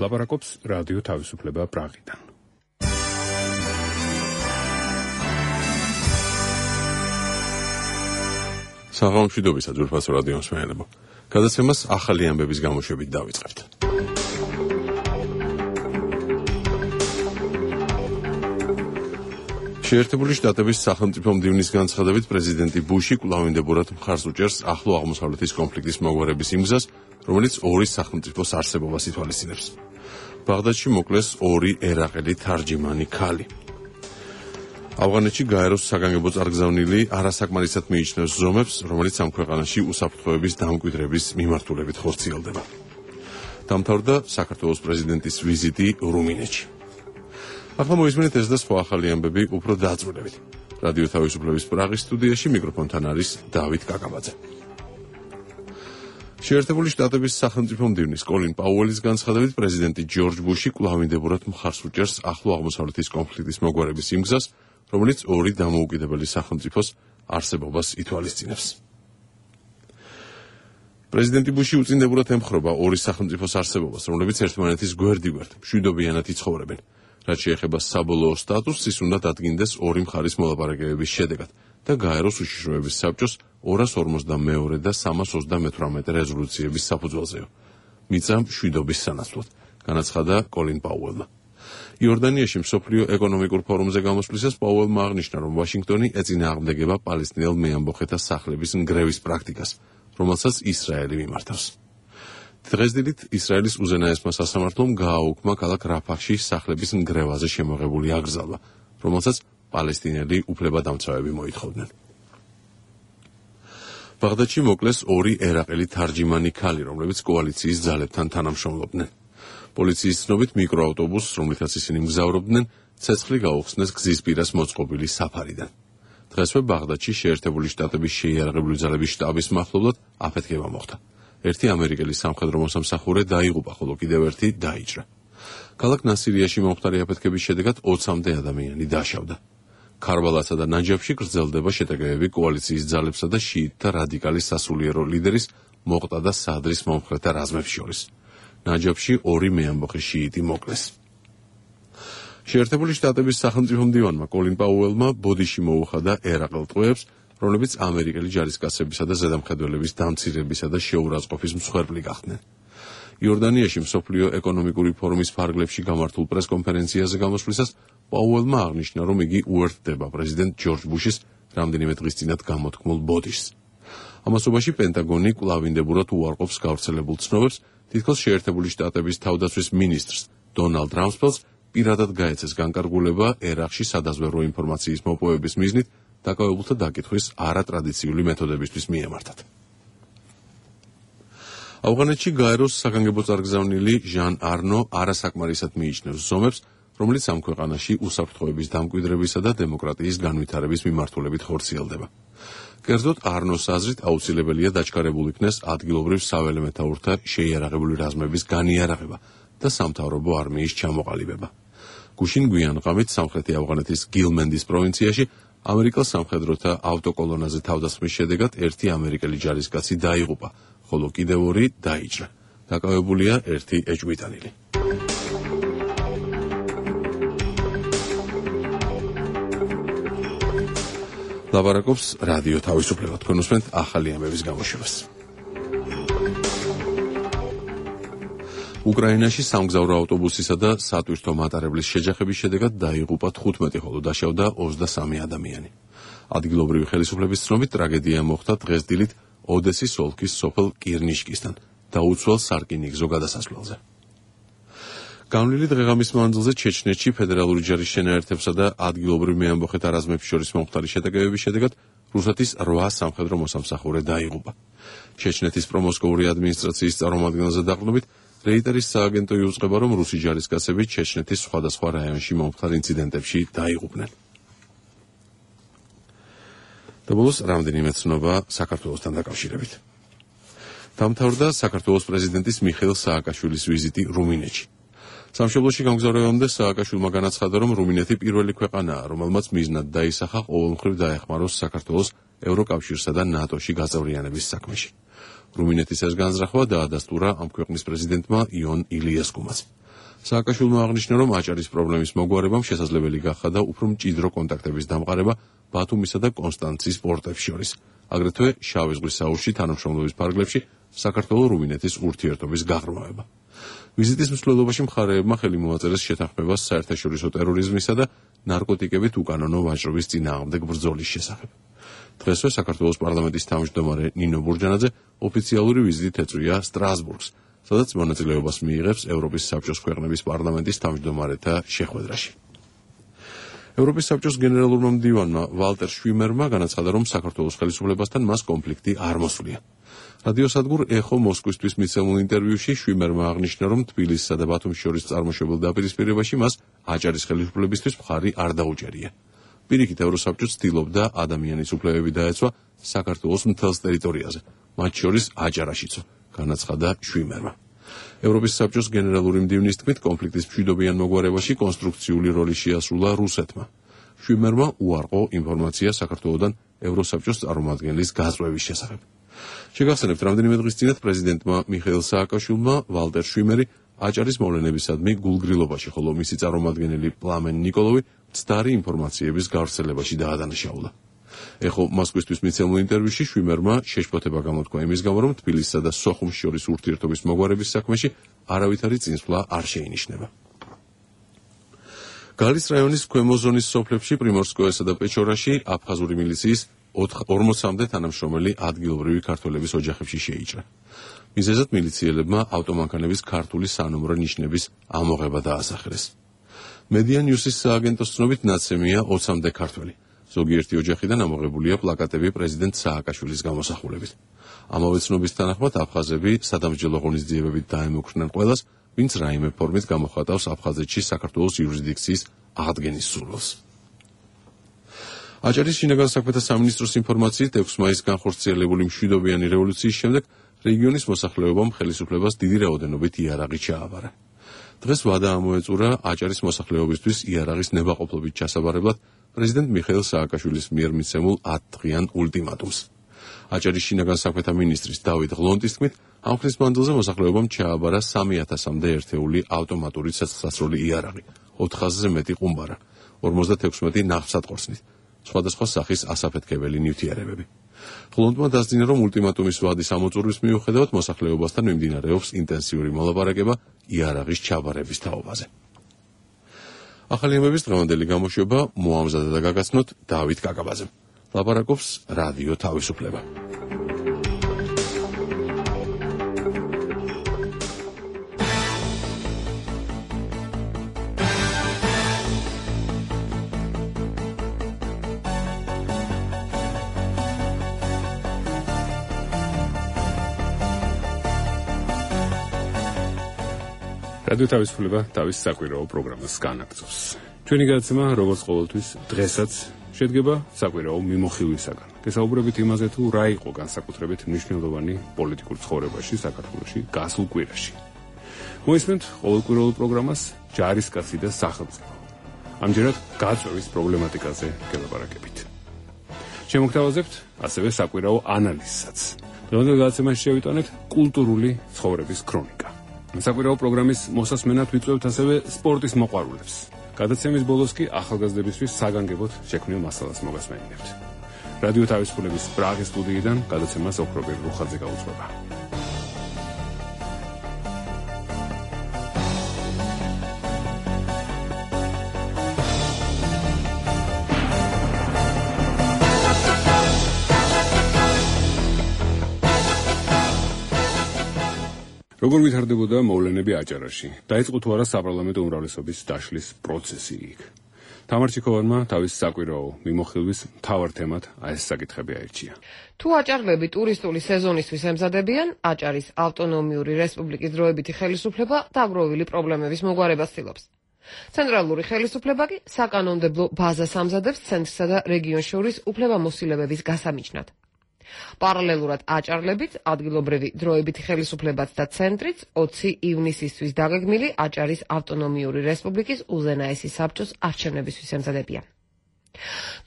ლაპარაკობს რადიო თავისუფლება პრაღიდან. საღამომშვიდობისა ძვირფასო რადიო მსმენელებო. გადაცემას ახალი ამბების გამოშვებით დავიწყებთ. შეერთებული შტატების სახელმწიფო მდივნის განცხადებით პრეზიდენტი ბუში კვლავინდებურად მხარს უჭერს ახლო აღმოსავლეთის კონფლიქტის მოგვარების იმ გზას, რომელიც ორი სახელმწიფოს არსებობას ითვალისწინებს. ბაღდადში მოკლეს ორი ერაყელი თარჯიმანი ქალი. ავღანეთში გაეროს საგანგებო წარგზავნილი არასაკმარისად მიიჩნევს ზომებს, რომელიც ამ ქვეყანაში უსაფრთხოების დამკვიდრების მიმართულებით ხორციელდება. დამთავრდა საქართველოს პრეზიდენტის ვიზიტი რუმინეთში. ახლა მოისმენთ ეს და სხვა ახალი ამბები უფრო დაწვრილებით. რადიო თავისუფლების პრაღის სტუდიაში მიკროფონთან არის დავით კაკაბაძე. შეერთებული შტატების სახელმწიფო მდივნის კოლინ პაუელის განცხადებით პრეზიდენტი ჯორჯ ბუში კვლავინდებურად მხარს უჭერს ახლო აღმოსავლეთის კონფლიქტის მოგვარების იმ გზას, რომელიც ორი დამოუკიდებელი სახელმწიფოს არსებობას ითვალისწინებს. პრეზიდენტი ბუში უწინდებურად ემხრობა ორი სახელმწიფოს არსებობას, რომლებიც ერთმანეთის გვერდიგვერდ მშვიდობიანად იცხოვრებენ. რაც შეეხება საბოლოო სტატუსს, ის უნდა დადგინდეს ორი მხარის მოლაპარაკებების შედეგად და გაეროს უშიშროების საბჭოს 242 და 328 რეზოლუციების საფუძველზეო. მიწა მშვიდობის სანაცვლოდ, განაცხადა კოლინ პაუელმა. იორდანიაში მსოფლიო ეკონომიკურ ფორუმზე გამოსვლისას პაუელმა აღნიშნა, რომ ვაშინგტონი ეწინააღმდეგება პალესტინელ მეამბოხეთა სახლების ნგრევის პრაქტიკას, რომელსაც ისრაელი მიმართავს. დღესდღეობით ისრაელის უზენაესმა სასამართლომ გააუქმა ქალაქ რაფახში სახლების ნგრევაზე შემოღებული აკრძალვა, რომელსაც პალესტინელი უფლებადამცავები მოითხოვდნენ. ბაღდადში მოკლეს ორი ერაყელი თარჯიმანი ქალი, რომლებიც კოალიციის ძალებთან თანამშრომლობდნენ. პოლიციის ცნობით მიკროავტობუსს, რომლითაც ისინი მგზავრობდნენ, ცეცხლი გაუხსნეს გზის პირას მოწყობილი საფარიდან. დღესვე ბაღდადში შეერთებული შტატების შეიარაღებული ძალების შტაბის მახლობლად აფეთქება მოხდა. ერთი ამერიკელი სამხედრო მოსამსახურე დაიღუპა, ხოლო კიდევ ერთი დაიჭრა. ქალაქ ნასირიაში მომხდარი აფეთქების შედეგად 20-მდე ადამიანი დაშავდა. ქარბალასა და ნაჯაფში გრძელდება შეტაკებები კოალიციის ძალებსა და შიიტთა რადიკალის სასულიერო ლიდერის მოყტადა სადრის მომხრეთა რაზმებს შორის. ნაჯაფში ორი მეამბოხე შიიტი მოკლეს. შეერთებული შტატების სახელმწიფო მდივანმა კოლინ პაუელმა ბოდიში მოუხადა ერაყელ ტყვეებს, რომლებიც ამერიკელი ჯარისკაცებისა და ზედამხედველების დამცირებისა და შეურაცხყოფის მსხვერპლი გახდნენ. იორდანიაში მსოფლიო ეკონომიკური ფორუმის ფარგლებში გამართულ პრესკონფერენციაზე გამოსვლისას პაუელმა აღნიშნა, რომ იგი უერთდება პრეზიდენტ ჯორჯ ბუშის რამდენიმე დღის წინათ გამოთქმულ ბოდიშს. ამასობაში პენტაგონი კვლავინდებურად უარყოფს გავრცელებულ ცნობებს, თითქოს შეერთებული შტატების თავდაცვის მინისტრს დონალდ რამსფელდს პირადად გაეცეს განკარგულება ერაყში სადაზვერვო ინფორმაციის მოპოვების მიზნით დაკავებულთა დაკითხვის არატრადიციული მეთოდებისთვის მიემართათ. ავღანეთში გაეროს საგანგებო წარგზავნილი ჟან არნო არასაკმარისად მიიჩნევს ზომებს, რომელიც ამ ქვეყანაში უსაფრთხოების დამკვიდრებისა და დემოკრატიის განვითარების მიმართულებით ხორციელდება. კერძოდ არნოს აზრით აუცილებელია დაჩქარებულ იქნეს ადგილობრივ საველე მეთაურთა შეიარაღებული რაზმების განიარაღება და სამთავრობო არმიის ჩამოყალიბება. გუშინ გვიან ღამით სამხრეთი ავღანეთის გილმენდის პროვინციაში ამერიკელ სამხედროთა ავტოკოლონაზე თავდასხმის შედეგად ერთი ამერიკელი ჯარისკაცი დაიღუპა, ხოლო კიდევ ორი დაიჭრა. დაკავებულია ერთი ეჭვმიტანილი. ლაპარაკობს რადიო თავისუფლება. თქვენ უსმენთ ახალი ამბების გამოშვებას. უკრაინაში სამგზავრო ავტობუსისა და სატვირთო მატარებლის შეჯახების შედეგად დაიღუპა 15, ხოლო დაშავდა 23 ადამიანი. ადგილობრივი ხელისუფლების ცნობით ტრაგედია მოხდა დღესდილით ოდესის ოლქის სოფელ კირნიშკისთან, დაუცველ სარკინიგზო გადასასვლელზე. განვლილი დღეღამის მანძილზე ჩეჩნეთში ფედერალური ჯარის შენაერთებსა და ადგილობრივ მეამბოხეთა რაზმებს შორის მომხდარი შეტაკებების შედეგად რუსეთის 8 სამხედრო მოსამსახურე დაიღუპა. ჩეჩნეთის პრომოსკოვური ადმინისტრაციის წარმომადგენელზე დაყრდნობით რეიტერის სააგენტო იუწყება, რომ რუსი ჯარისკაცები ჩეჩნეთის სხვადასხვა რაიონში მომხდარ ინციდენტებში დაიღუპნენ. და ბოლოს რამდენიმე ცნობა საქართველოსთან დაკავშირებით. დამთავრდა საქართველოს პრეზიდენტის მიხეილ სააკაშვილის ვიზიტი რუმინეთში. სამშობლოში გამგზავრებამდე სააკაშვილმა განაცხადა, რომ რუმინეთი პირველი ქვეყანაა, რომელმაც მიზნად დაისახა ყოველმხრივ დაეხმაროს საქართველოს ევროკავშირსა და ნატოში გაწევრიანების საქმეში. რუმინეთის ეს განზრახვა დაადასტურა ამ ქვეყნის პრეზიდენტმა იონ ილიესკუმაც. სააკაშვილმა აღნიშნა, რომ აჭარის პრობლემის მოგვარებამ შესაძლებელი გახდა და უფრო მჭიდრო კონტაქტების დამყარება ბათუმისა და კონსტანცის პორტებს შორის. აგრეთვე შავი ზღვის აუზში თანამშრომლობის ფარგლებში საქართველო-რუმინეთის ურთიერთობის გაღრმავება. ვიზიტის მსვლელობაში მხარეებმა ხელი მოაწერეს შეთანხმებას საერთაშორისო ტერორიზმისა და ნარკოტიკებით უკანონო ვაჭრობის წინააღმდეგ ბრძოლის შესახებ. დღესვე საქართველოს პარლამენტის თავმჯდომარე ნინო ბურჯანაძე ოფიციალური ვიზიტით ეწვია სტრასბურგს, სადაც მონაწილეობას მიიღებს ევროპის საბჭოს ქვეყნების პარლამენტის თავმჯდომარეთა შეხვედრაში. ევროპის საბჭოს გენერალურმა მდივანმა ვალტერ შვიმერმა განაცხადა, რომ საქართველოს ხელისუფლებასთან მას კონფლიქტი არ მოსვლია. რადიოსადგურ ეხო მოსკვისთვის მიცემულ ინტერვიუში შვიმერმა აღნიშნა, რომ თბილისსა და ბათუმს შორის წარმოშობილ დაპირისპირებაში მას აჭარის ხელისუფლებისთვის მხარი არ დაუჭერია. პირიქით ევროსაბჭო ცდილობდა ადამიანის უფლებები დაეცვა საქართველოს მთელს ტერიტორიაზე, მათ შორის აჭარაშიცო, განაცხადა შვიმერმა. ევროპის საბჭოს გენერალური მდივნის თქმით, კონფლიქტის მშვიდობიან მოგვარებაში კონსტრუქციული როლი შეასრულა რუსეთმა. შვიმერმა უარყო ინფორმაცია საქართველოსთან ევროსაბჭოს წარმომადგენლის გაწვევის შესახებ. შეგახსენებთ, რამდენიმე დღის წინათ პრეზიდენტმა მიხეილ სააკაშვილმა ვალტერ შვიმერი აჭარის მოვლენებისადმი გულგრილობაში, ხოლო მისი წარმომადგენელი პლამენ ნიკოლოვი მცდარი ინფორმაციების გავრცელებაში დაადანაშაულა. ეხო მოსკვისთვის მიცემულ ინტერვიუში შვიმერმა შეშფოთება გამოთქვა იმის გამო, რომ თბილისსა და სოხუმს შორის ურთიერთობის მოგვარების საქმეში არავითარი წინსვლა არ შეინიშნება. გალის რაიონის ქვემო ზონის სოფლებში პრიმორსკოესა და პეჩორაში აფხაზური მილიციის 40-მდე თანამშრომელი ადგილობრივი ქართველების ოჯახებში შეიჭრა. მიზეზად მილიციელებმა ავტომანქანების ქართული სანომრო ნიშნების ამოღება დაასახელეს. მედია ნიუსის სააგენტოს ცნობით ნაცემია 20-მდე ქართველი. ზოგიერთი ოჯახიდან ამოღებულია პლაკატები პრეზიდენტ სააკაშვილის გამოსახულებით. ამავე ცნობის თანახმად აფხაზები სადამსჯელო ღონისძიებებით დაემუქრნენ ყველას, ვინც რაიმე ფორმით გამოხატავს აფხაზეთში საქართველოს იურისდიქციის აღდგენის სურვილს. აჭარის შინაგან საქმეთა სამინისტროს ინფორმაციით 6 მაისს განხორციელებული მშვიდობიანი რევოლუციის შემდეგ რეგიონის მოსახლეობამ ხელისუფლებას დიდი რაოდენობით იარაღი ჩააბარა. დღეს ვადა ამოეწურა აჭარის მოსახლეობისთვის იარაღის ნებაყოფლობით ჩასაბარებლად პრეზიდენტ მიხეილ სააკაშვილის მიერ მიცემულ 10-დღიან ულტიმატუმს. აჭარის შინაგან საქმეთა მინისტრის დავით ღლონტის თქმით, ამ ხნის მანძილზე მოსახლეობამ ჩააბარა 3000-მდე ერთეული ავტომატური ცეცხლსასროლი იარაღი, 400-ზე მეტი ყუმბარა, 56 ნავსატყორცნით, სხვადასხვა სახის ასაფეთქებელი ნივთიერებები. ღლონტმა დასძინა, რომ ულტიმატუმის ვადის ამოწურვის მიუხედავად მოსახლეობასთან მიმდინარეობს ინტენსიური მოლაპარაკება იარაღის ჩაბარების თაობაზე. ახალი ამბების დღევანდელი გამოშვება მოამზადა და გაგაცნოთ დავით კაკაბაძემ. ლაპარაკობს რადიო თავისუფლება. რადიო თავისუფლება თავის საკვირაო პროგრამას განაგრძობს. ჩვენი გადაცემა, როგორც ყოველთვის, დღესაც შედგება საკვირაო მიმოხილვისაგან. გესაუბრებით იმაზე, თუ რა იყო განსაკუთრებით მნიშვნელოვანი პოლიტიკურ ცხოვრებაში საქართველოში გასულ კვირაში. მოისმენთ ყოველკვირეულ პროგრამას ჯარისკაცი და სახელმწიფო. ამჯერად გაწვევის პრობლემატიკაზე გელაპარაკებით. შემოგთავაზებთ ასევე საკვირაო ანალიზსაც. დღევანდელ გადაცემაში შევიტანეთ კულტურული ცხოვრების ქრონიკა. საკვირაო პროგრამის მოსასმენად ვიწვევთ ასევე სპორტის მოყვარულებს. გადაცემის ბოლოს კი ახალგაზრდებისთვის საგანგებოდ შექმნილ მასალას მოგასმენინებთ. რადიო თავისუფლების პრაღის სტუდიიდან გადაცემას ოქრობერ რუხაძე გაუძღვება. როგორ ვითარდებოდა მოვლენები აჭარაში? დაიწყო თუ არა საპარლამენტო უმრავლესობის დაშლის პროცესი იქ? თამარ ჩიქოვანმა თავის საკვირაო მიმოხილვის მთავარ თემად ეს საკითხები აირჩია. თუ აჭარლები ტურისტული სეზონისთვის ემზადებიან, აჭარის ავტონომიური რესპუბლიკის დროებითი ხელისუფლება დაგროვილი პრობლემების მოგვარებას ცდილობს. ცენტრალური ხელისუფლება კი საკანონმდებლო ბაზას ამზადებს ცენტრსა და რეგიონს შორის უფლებამოსილებების გასამიჯნად. პარალელურად აჭარლებიც, ადგილობრივი დროებითი ხელისუფლებაც და ცენტრიც 20 ივნისისთვის დაგეგმილი აჭარის ავტონომიური რესპუბლიკის უზენაესი საბჭოს არჩევნებისთვის ემზადებიან.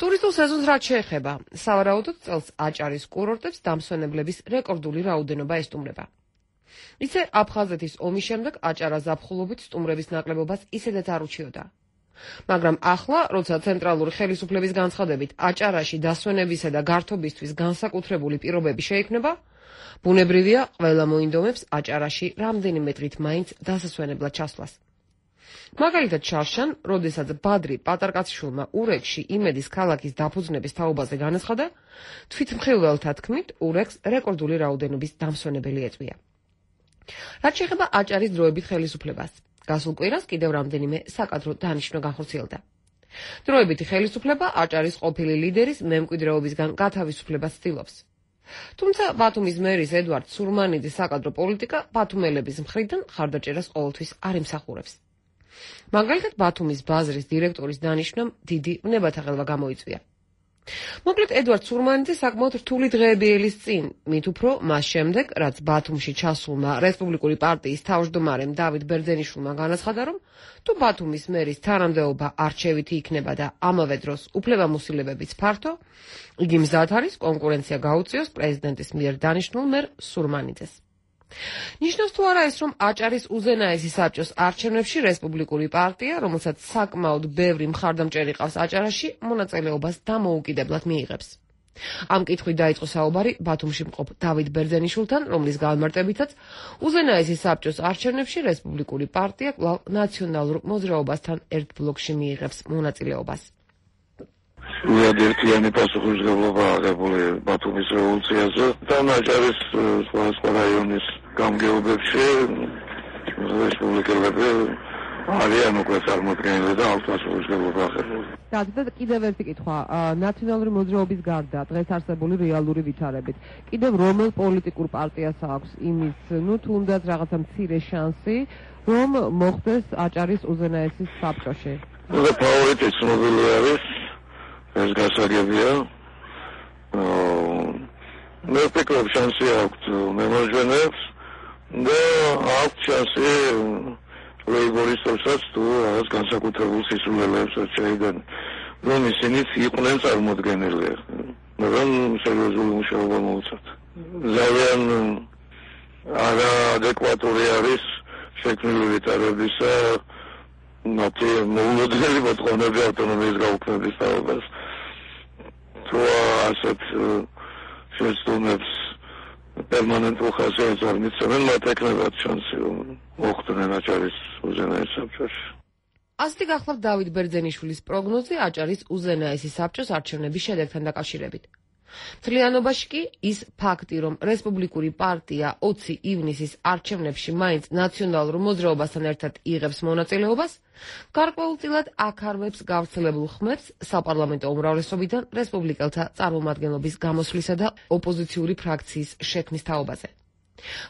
ტურისტულ სეზონს რაც შეეხება, სავარაუდოდ წელს აჭარის კურორტებს დამსვენებლების რეკორდული რაოდენობა ესტუმრება. ისე აფხაზეთის ომის შემდეგ აჭარა ზაფხულობით სტუმრების ნაკლებობას ისედაც არ უჩიოდა. მაგრამ ახლა, როცა ცენტრალური ხელისუფლების განცხადებით აჭარაში დასვენებისა და გართობისთვის განსაკუთრებული პირობები შეიქმნება, ბუნებრივია ყველა მოინდომებს აჭარაში რამდენიმე დღით მაინც დასასვენებლად ჩასვლას. მაგალითად შარშან, როდესაც ბადრი პატარკაციშვილმა ურეკში იმედის ქალაქის დაფუძნების თაობაზე განაცხადა, თვითმხილველთა თქმით, ურეკს რეკორდული რაოდენობის დამსვენებელი ეწვია. რაც შეეხება აჭარის დროებით ხელისუფლებას, გასულ კვირას კიდევ რამდენიმე საკადრო დანიშვნა განხორციელდა. დროებითი ხელისუფლება აჭარის ყოფილი ლიდერის მემკვიდრეობისგან გათავისუფლებას ცდილობს. თუმცა ბათუმის მერის ედვარდ სურმანიძის საკადრო პოლიტიკა ბათუმელების მხრიდან ხარდაჭერას ყოველთვის არ იმსახურებს. მაგალითად, ბათუმის ბაზრის დირექტორის დანიშვნამ დიდი ვნებათაღელვა გამოიწვია. მოკლედ, ედვარდ სურმანიძე საკმაოდ რთული დღეები ელის წინ, მით უფრო მას შემდეგ, რაც ბათუმში ჩასულმა რესპუბლიკური პარტიის თავმჯდომარემ დავით ბერძენიშვილმა განაცხადა, რომ თუ ბათუმის მერის თანამდებობა არჩევითი იქნება და ამავე დროს უფლებამოსილებებიც ფართო, იგი მზად არის კონკურენცია გაუწიოს პრეზიდენტის მიერ დანიშნულ მერ სურმანიძეს. ნიშნავს თუ არა ეს, რომ აჭარის უზენაესი საბჭოს არჩევნებში რესპუბლიკური პარტია, რომელსაც საკმაოდ ბევრი მხარდამჭერი ყავს აჭარაში, მონაწილეობას დამოუკიდებლად მიიღებს. ამ კითხვით დაიწყო საუბარი ბათუმში მყოფ დავით ბერძენიშვილთან, რომლის განმარტებითაც უზენაესი საბჭოს არჩევნებში რესპუბლიკური პარტია კვლავ ნაციონალურ მოძრაობასთან ერთ ბლოკში მიიღებს მონაწილეობას. ერთიანი პასუხისმგებლობა აღებული ბათუმის რევოლუციაზე და აჭარის სხვა რაიონის გამგეობებში რესპუბლიკელები არიან უკვე წარმოდგენილი და ამ პასუხისმგებლობა აღებული. და კიდევ ერთი კითხვა, ნაციონალური მოძრაობის გარდა დღეს არსებული რეალური ვითარებით, კიდევ რომელ პოლიტიკურ პარტიას აქვს იმის, თუნდაც რაღაცა მცირე შანსი, რომ მოხდეს აჭარის უზენაესის საბჭოში? და ფავორიტი ცნობილი არის, ეს გასაგებია. მე ვფიქრობ, შანსი აქვს მემარჯვენეებს და აქვს შანსი ლეიბორისტებსაც თუ რაღაც განსაკუთრებულ სისულელეებს შეიდნენ, რომ ისინიც იყვნენ წარმოდგენილი, მაგრამ სერიოზული მუშაობა მოუწევთ. ძალიან არაადეკვატური არის შექმნილი ვითარებისა მათი მოულოდნელი მოთხოვნები ავტონომიის გაუქმების თაობას. თუ ასეთ შეცდომებს პერმანენტულ ხასიათს არ მიცემენ, მათ ეკნებათ შანსი, რომ მოხვდნენ აჭარის უზენაეს საბჭოში. ასეთი გახლავთ დავით ბერძენიშვილის პროგნოზი აჭარის უზენაესი საბჭოს არჩევნების შედეგთან დაკავშირებით. მთლიანობაში კი ის ფაქტი, რომ რესპუბლიკური პარტია 20 ივნისის არჩევნებში მაინც ნაციონალურ მოძრაობასთან ერთად იღებს მონაწილეობას, გარკვეულწილად აქარვებს გავრცელებულ ხმებს საპარლამენტო უმრავლესობიდან რესპუბლიკელთა წარმომადგენლობის გამოსვლისა და ოპოზიციური ფრაქციის შექმნის თაობაზე.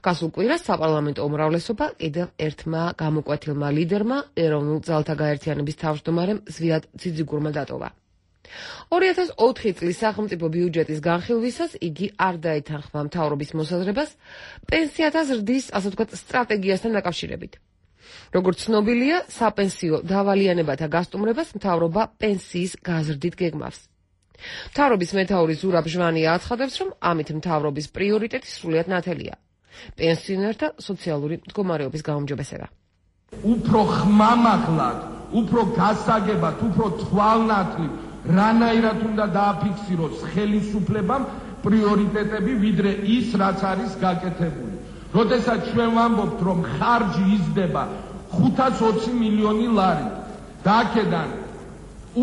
გასულ კვირას საპარლამენტო უმრავლესობა კიდევ ერთმა გამოკვეთილმა ლიდერმა, ეროვნულ ძალთა გაერთიანების თავმჯდომარემ ზვიად ძიძიგურმა დატოვა. 2004 წლის სახელმწიფო ბიუჯეტის განხილვისას იგი არ დაეთანხმა მთავრობის მოსაზრებას პენსიათა ზრდის, ასე ვთქვათ, სტრატეგიასთან დაკავშირებით. როგორც ცნობილია, საპენსიო დავალიანებათა გასტუმრებას მთავრობა პენსიის გაზრდით გეგმავს. მთავრობის მეთაური ზურაბ ჟვანია აცხადებს, რომ ამით მთავრობის პრიორიტეტი სრულიად ნათელია. პენსიონერთა სოციალური მდგომარეობის გაუმჯობესება. უფრო ხმამაღლად, უფრო გასაგებად, უფრო თვალნათლივ რანაირად უნდა დააფიქსიროს ხელისუფლებამ პრიორიტეტები, ვიდრე ის, რაც არის გაკეთებული. როდესაც ჩვენ ვამბობთ, რომ ხარჯი იზრდება 520 მილიონი ლარი, და აქედან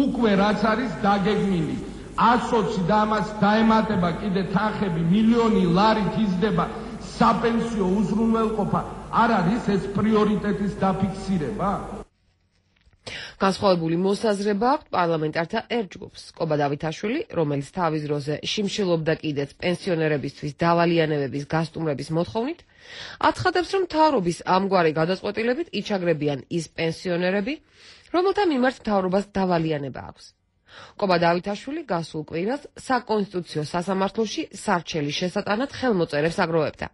უკვე რაც არის დაგეგმილი 120 და ამას დაემატება კიდე თანხები მილიონი ლარით იზრდება საპენსიო უზრუნველყოფა, არ არის ეს პრიორიტეტის დაფიქსირება? განსხვავებული მოსაზრება აქვს პარლამენტართა ერთ ჯგუფს. კობა დავითაშვილი, რომელიც თავის დროზე შიმშილობდა კიდეც პენსიონერებისთვის დავალიანებების გასტუმრების მოთხოვნით, აცხადებს, რომ მთავრობის ამგვარი გადაწყვეტილებით იჩაგრებიან ის პენსიონერები, რომელთა მიმართ მთავრობას დავალიანება აქვს. კობა დავითაშვილი გასულ კვირას საკონსტიტუციო სასამართლოში სარჩელის შესატანად ხელმოწერებს აგროვებდა.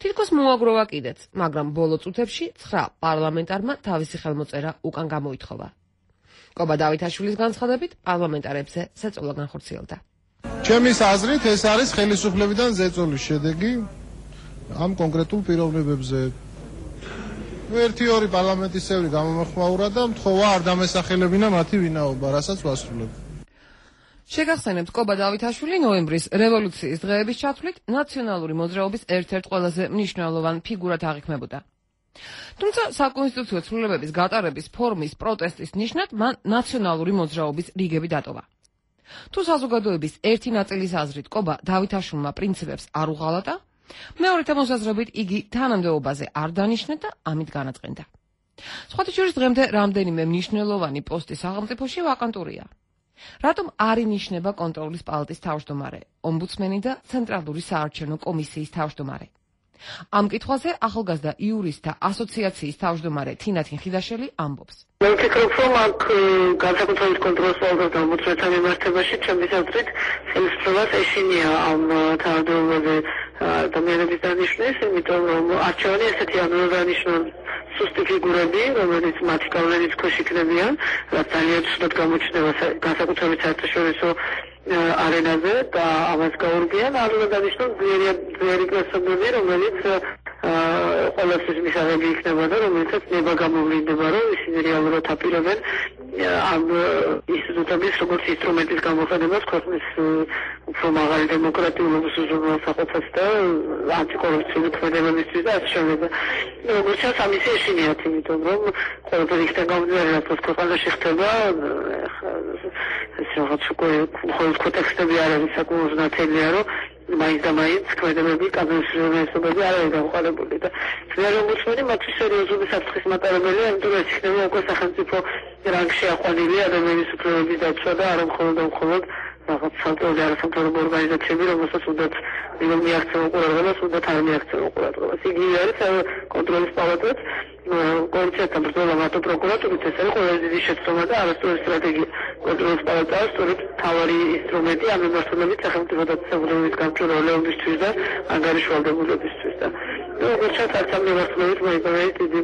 თითქოს მოაგროვა კიდეც, მაგრამ ბოლო წუთებში 9 პარლამენტარმა თავისი ხელმოწერა უკან გამოითხოვა. კობა დავითაშვილის განცხადებით, პარლამენტარებზე ზეწოლა განხორციელდა. ჩემის აზრით, ეს არის ხელისუფლებიდან ზეწოლის შედეგი. ამ კონკრეტულ პიროვნებებზე. ერთი-ორი პარლამენტის წევრი გამომეხმაურა და მთხოვა არ დამესახელებინა მათი ვინაობა, რასაც ვასრულებ. შეგახსენებთ, კობა დავითაშვილი ნოემბრის რევოლუციის დღეების ჩათვლით ნაციონალური მოძრაობის ერთ-ერთ ყველაზე მნიშვნელოვან ფიგურად აღიქმებოდა. თუმცა საკონსტიტუციო ცვლილებების გატარების ფორმის პროტესტის ნიშნად მან ნაციონალური მოძრაობის რიგები დატოვა. თუ საზოგადოების ერთი ნაწილის აზრით კობა დავითაშვილმა პრინციპებს არ უღალატა, მეორეთა მოსაზრებით იგი თანამდებობაზე არ დანიშნა და ამით განაწყენდა. სხვათა შორის დღემდე რამდენიმე მნიშვნელოვანი პოსტი სახელმწიფოში ვაკანტურია. რატომ არ ინიშნება კონტროლის პალატის თავმჯდომარე, ომბუდსმენი და ცენტრალური საარჩევნო კომისიის თავმჯდომარე? ამ კითხვაზე ახალგაზრდა იურისტთა ასოციაციის თავმჯდომარე თინათინ ხიდაშელი ამბობს. მე ვფიქრობ, რომ აქ განსაკუთრებით კონტროლის პალატას და ომბუდსმენთან მიმართებაში ჩემთვის აზრით ხელისუფლებას ეშინია ამ თანამდებობაზე ადამიანების დანიშვნის, იმიტომ რომ არჩევანი ესეთი ანუ დანიშნულ სუსტი ფიგურები, რომელიც მათი გავლენის ქვეშ იქნებიან, რაც ძალიან ცუდად გამოჩნდება განსაკუთრებით საერთაშორისო არენაზე და ამას გაურბიან, არ უნდა დანიშნოს ძლიერი პერსონები, რომელიც ყველასთვის მისაღები იქნება და რომელიცაც ნება გამოვლინდება, რომ ისინი რეალურად აპირებენ ამ ინსტიტუტების როგორც ინსტრუმენტის გამოყენებას ქვეყნის უფრო მაღალი დემოკრატიულობის უზრუნველსაყოფად და ანტიკორუფციული ქმედებებისთვის და ასე შემდეგ. როგორც ჩანს, ამისი ეშინიათ, იმიტომ რომ ყველაფერი იქიდან გამომდინარე, რაც ქვეყანაში ხდება, ეს რაღაც უკვე მხოლოდ კონტექსტები არ არის საკმაოდ ნათელია, რომ მაინც და მაინც ქმედებები, კანონმდებლობები არ არის გამოყენებული და ძლიერი ომბუდსმენი მათთვის სერიოზული საფრთხის მატარებელია, იმიტომ რომ ეს იქნება უკვე სახელმწიფო რანგში აყვანილი ადამიანის უფლებების დაცვა და არა მხოლოდ რაღაც სამწუხაროდ არასამთავრობო ორგანიზაციები, რომელსაც უნდათ მიაქცევენ ყურადღებას, უნდათ არ მიაქცევენ ყურადღებას. იგივე არის კონტროლის პალატაც, კოალიციასთან ბრძოლა მათო პროკურატურით, ეს არის ყველაზე დიდი შეცდომა და არასწორი სტრატეგია. კონტროლის პალატაა სწორედ მთავარი ინსტრუმენტი ამ მიმართულებით სახელმწიფო დაწესებულების გამჭვირვალეობისთვის და ანგარიშვალდებულებისთვის და როგორც ჩანს, არც ამ მიმართულებით მოიპოვეთ დიდი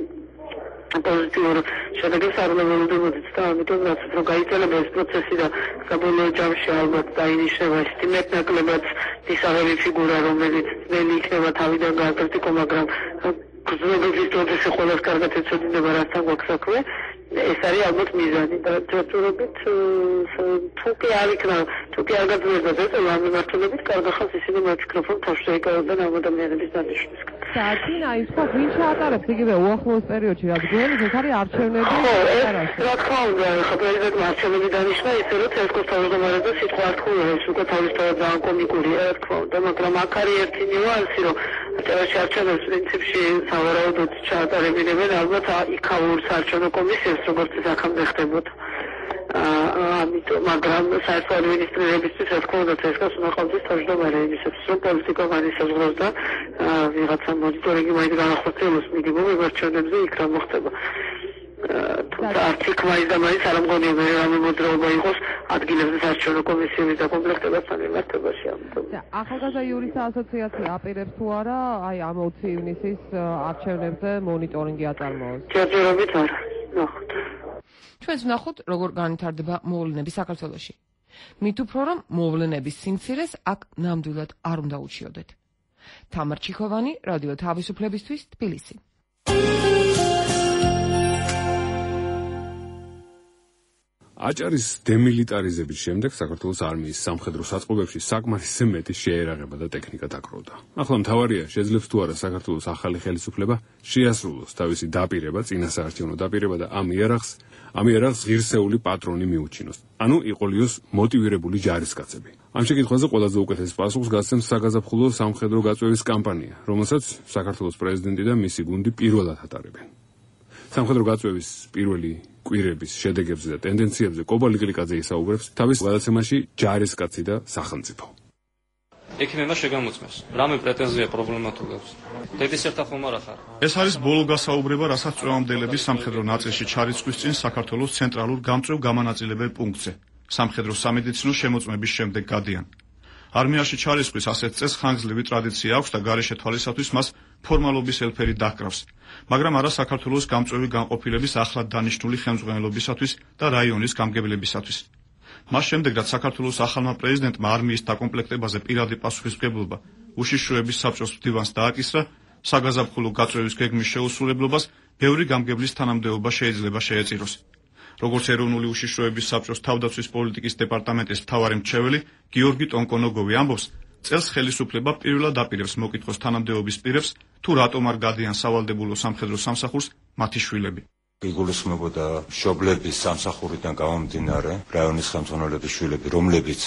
პოზიტიური შედეგებს არ უნდა ველოდებოდეთ და ამიტომ რაც უფრო გაიწელება ეს პროცესი და საბოლოო ჯამში ალბათ დაინიშნება ეს მეტნაკლებად მისაღები ფიგურა, რომელიც ძნელი იქნება თავიდან გააკრიტიკო, მაგრამ გრძნობების პროცესი ყველას კარგად ეცოდინება, რასთან გვაქვს საქმე. ეს არის ალბათ მიზანი და ჯერჯერობით თუ კი არ იქნება, თუ კი არ გაძლიერდება ეს ამ მიმართულებით, კარგ ხალხს ისინი მოვფიქრობ, რომ თავში ეკავებენ ამ ადამიანების დანიშვნისგან. საათინ აი სხვა ვინ ჩაატარებს იგივე უახლოეს პერიოდში, რაც გვეუბნებს, ეს არის არჩევნები? ხო, რა თქმა უნდა, ხო პრეზიდენტმა არჩევნები დანიშნა, ისე რომ ცესკოს თავმჯდომარე და სიტყვა არ თქვია, ეს უკვე თავისთავად ძალიან კომიკურია, რა თქმა უნდა, მაგრამ აქ არის ერთი ნიუანსი, რომ წერაში არჩევნებს პრინციპში სავარაუდოდ ჩაატარებინებენ ალბათ იქაურ საარჩევნო კომისიას, როგორც ეს აქამდე ხდებოდა. ამიტომ, მაგრამ საერთო ადმინისტრირებისთვის, რა თქმა უნდა, ცესკას უნდა ყავდეს თავმჯდომარე იმისათვის, რომ პოლიტიკა განისაზღვროს და ვიღაცა მონიტორინგი მაინც განახორციელოს მინიმუმ იმ არჩევნებზე იქ რა მოხდება. თუმცა არც იქ მაინც და მაინც არ ამგონია რამე მოძრაობა იყოს ადგილებზე საარჩევნო კომისიების დაკომპლექტებასთან მიმართებაში. ახალგაზრდა იურისტთა ასოციაცია აპირებს თუ არა აი ამ 20 ივნისის არჩევნებზე მონიტორინგი აწარმოოს? ჯერჯერობით არა. ნახოთ. ჩვენც ვნახოთ, როგორ განვითარდება მოვლენები საქართველოში. მით უფრო რომ მოვლენების სიმცირეს აქ ნამდვილად არ უნდა უჩიოდეთ. თამარ ჩიქოვანი, რადიო თავისუფლებისთვის, თბილისი. აჭარის დემილიტარიზების შემდეგ საქართველოს არმიის სამხედრო საწყობებში საკმარისზე მეტი შეერაღება და ტექნიკა დაგროვდა. ახლა მთავარია, შეძლებს თუ არა საქართველოს ახალი ხელისუფლება შეასრულოს თავისი დაპირება, წინასაარჩევნო დაპირება და ამ იარაღს ღირსეული პატრონი მიუჩინოს. ანუ იყოლიოს მოტივირებული ჯარისკაცები. ამ შეკითხვაზე ყველაზე უკეთეს პასუხს გასცემს საგაზაფხულო სამხედრო გაწვევის კამპანია, რომელსაც საქართველოს პრეზიდენტი და მისი გუნდი პირველად ატარებენ. სამხედრო გაწვევის პირველი კვირების შედეგებზე და ტენდენციებზე კობა ლიკლიკაძე ისაუბრებს თავის გადაცემაში ჯარისკაცი და სახელმწიფო. ექიმებმა შეგამოწმეს, რამე პრეტენზია პრობლემა თუ გაქვს. დედის ერთა ხომ არ ახარ. ეს არის ბოლო გასაუბრება, რასაც წვევამდელების სამხედრო ნაწილში ჩარიცხვის წინ საქართველოს ცენტრალურ გამწვევ გამანაწილებელ პუნქტზე. სამხედრო სამედიცინო შემოწმების შემდეგ გადიან. არმიაში ჩარიცხვის ასეთ წესს ხანგრძლივი ტრადიცია აქვს და გარეშე თვალისათვის მას ფორმალობის ელფერი დაჰკრავს. მაგრამ არა საქართველოს გამწვევი განყოფილების ახლად დანიშნული ხელმძღვანელობისათვის და რაიონის გამგებლებისათვის. მას შემდეგ, რაც საქართველოს ახალმა პრეზიდენტმა არმიის დაკომპლექტებაზე პირადი პასუხისმგებლობა უშიშროების საბჭოს მდივანს დააკისრა, საგაზაფხულო გაწვევის გეგმის შეუსრულებლობას ბევრი გამგებლის თანამდებობა შეიძლება შეეწიროს. როგორც ეროვნული უშიშროების საბჭოს თავდაცვის პოლიტიკის დეპარტამენტის მთავარი მრჩეველი გიორგი ტონკონოგოვი ამბობს, წელს ხელისუფლება პირველად აპირებს მოკითხოს თანამდებობის პირებს, თუ რატომ არ გადიან სავალდებულო სამხედრო სამსახურს მათი შვილები. იგულისხმებოდა მშობლების სამსახურიდან გამომდინარე რაიონის ხელმძღვანელობის შვილები, რომლებიც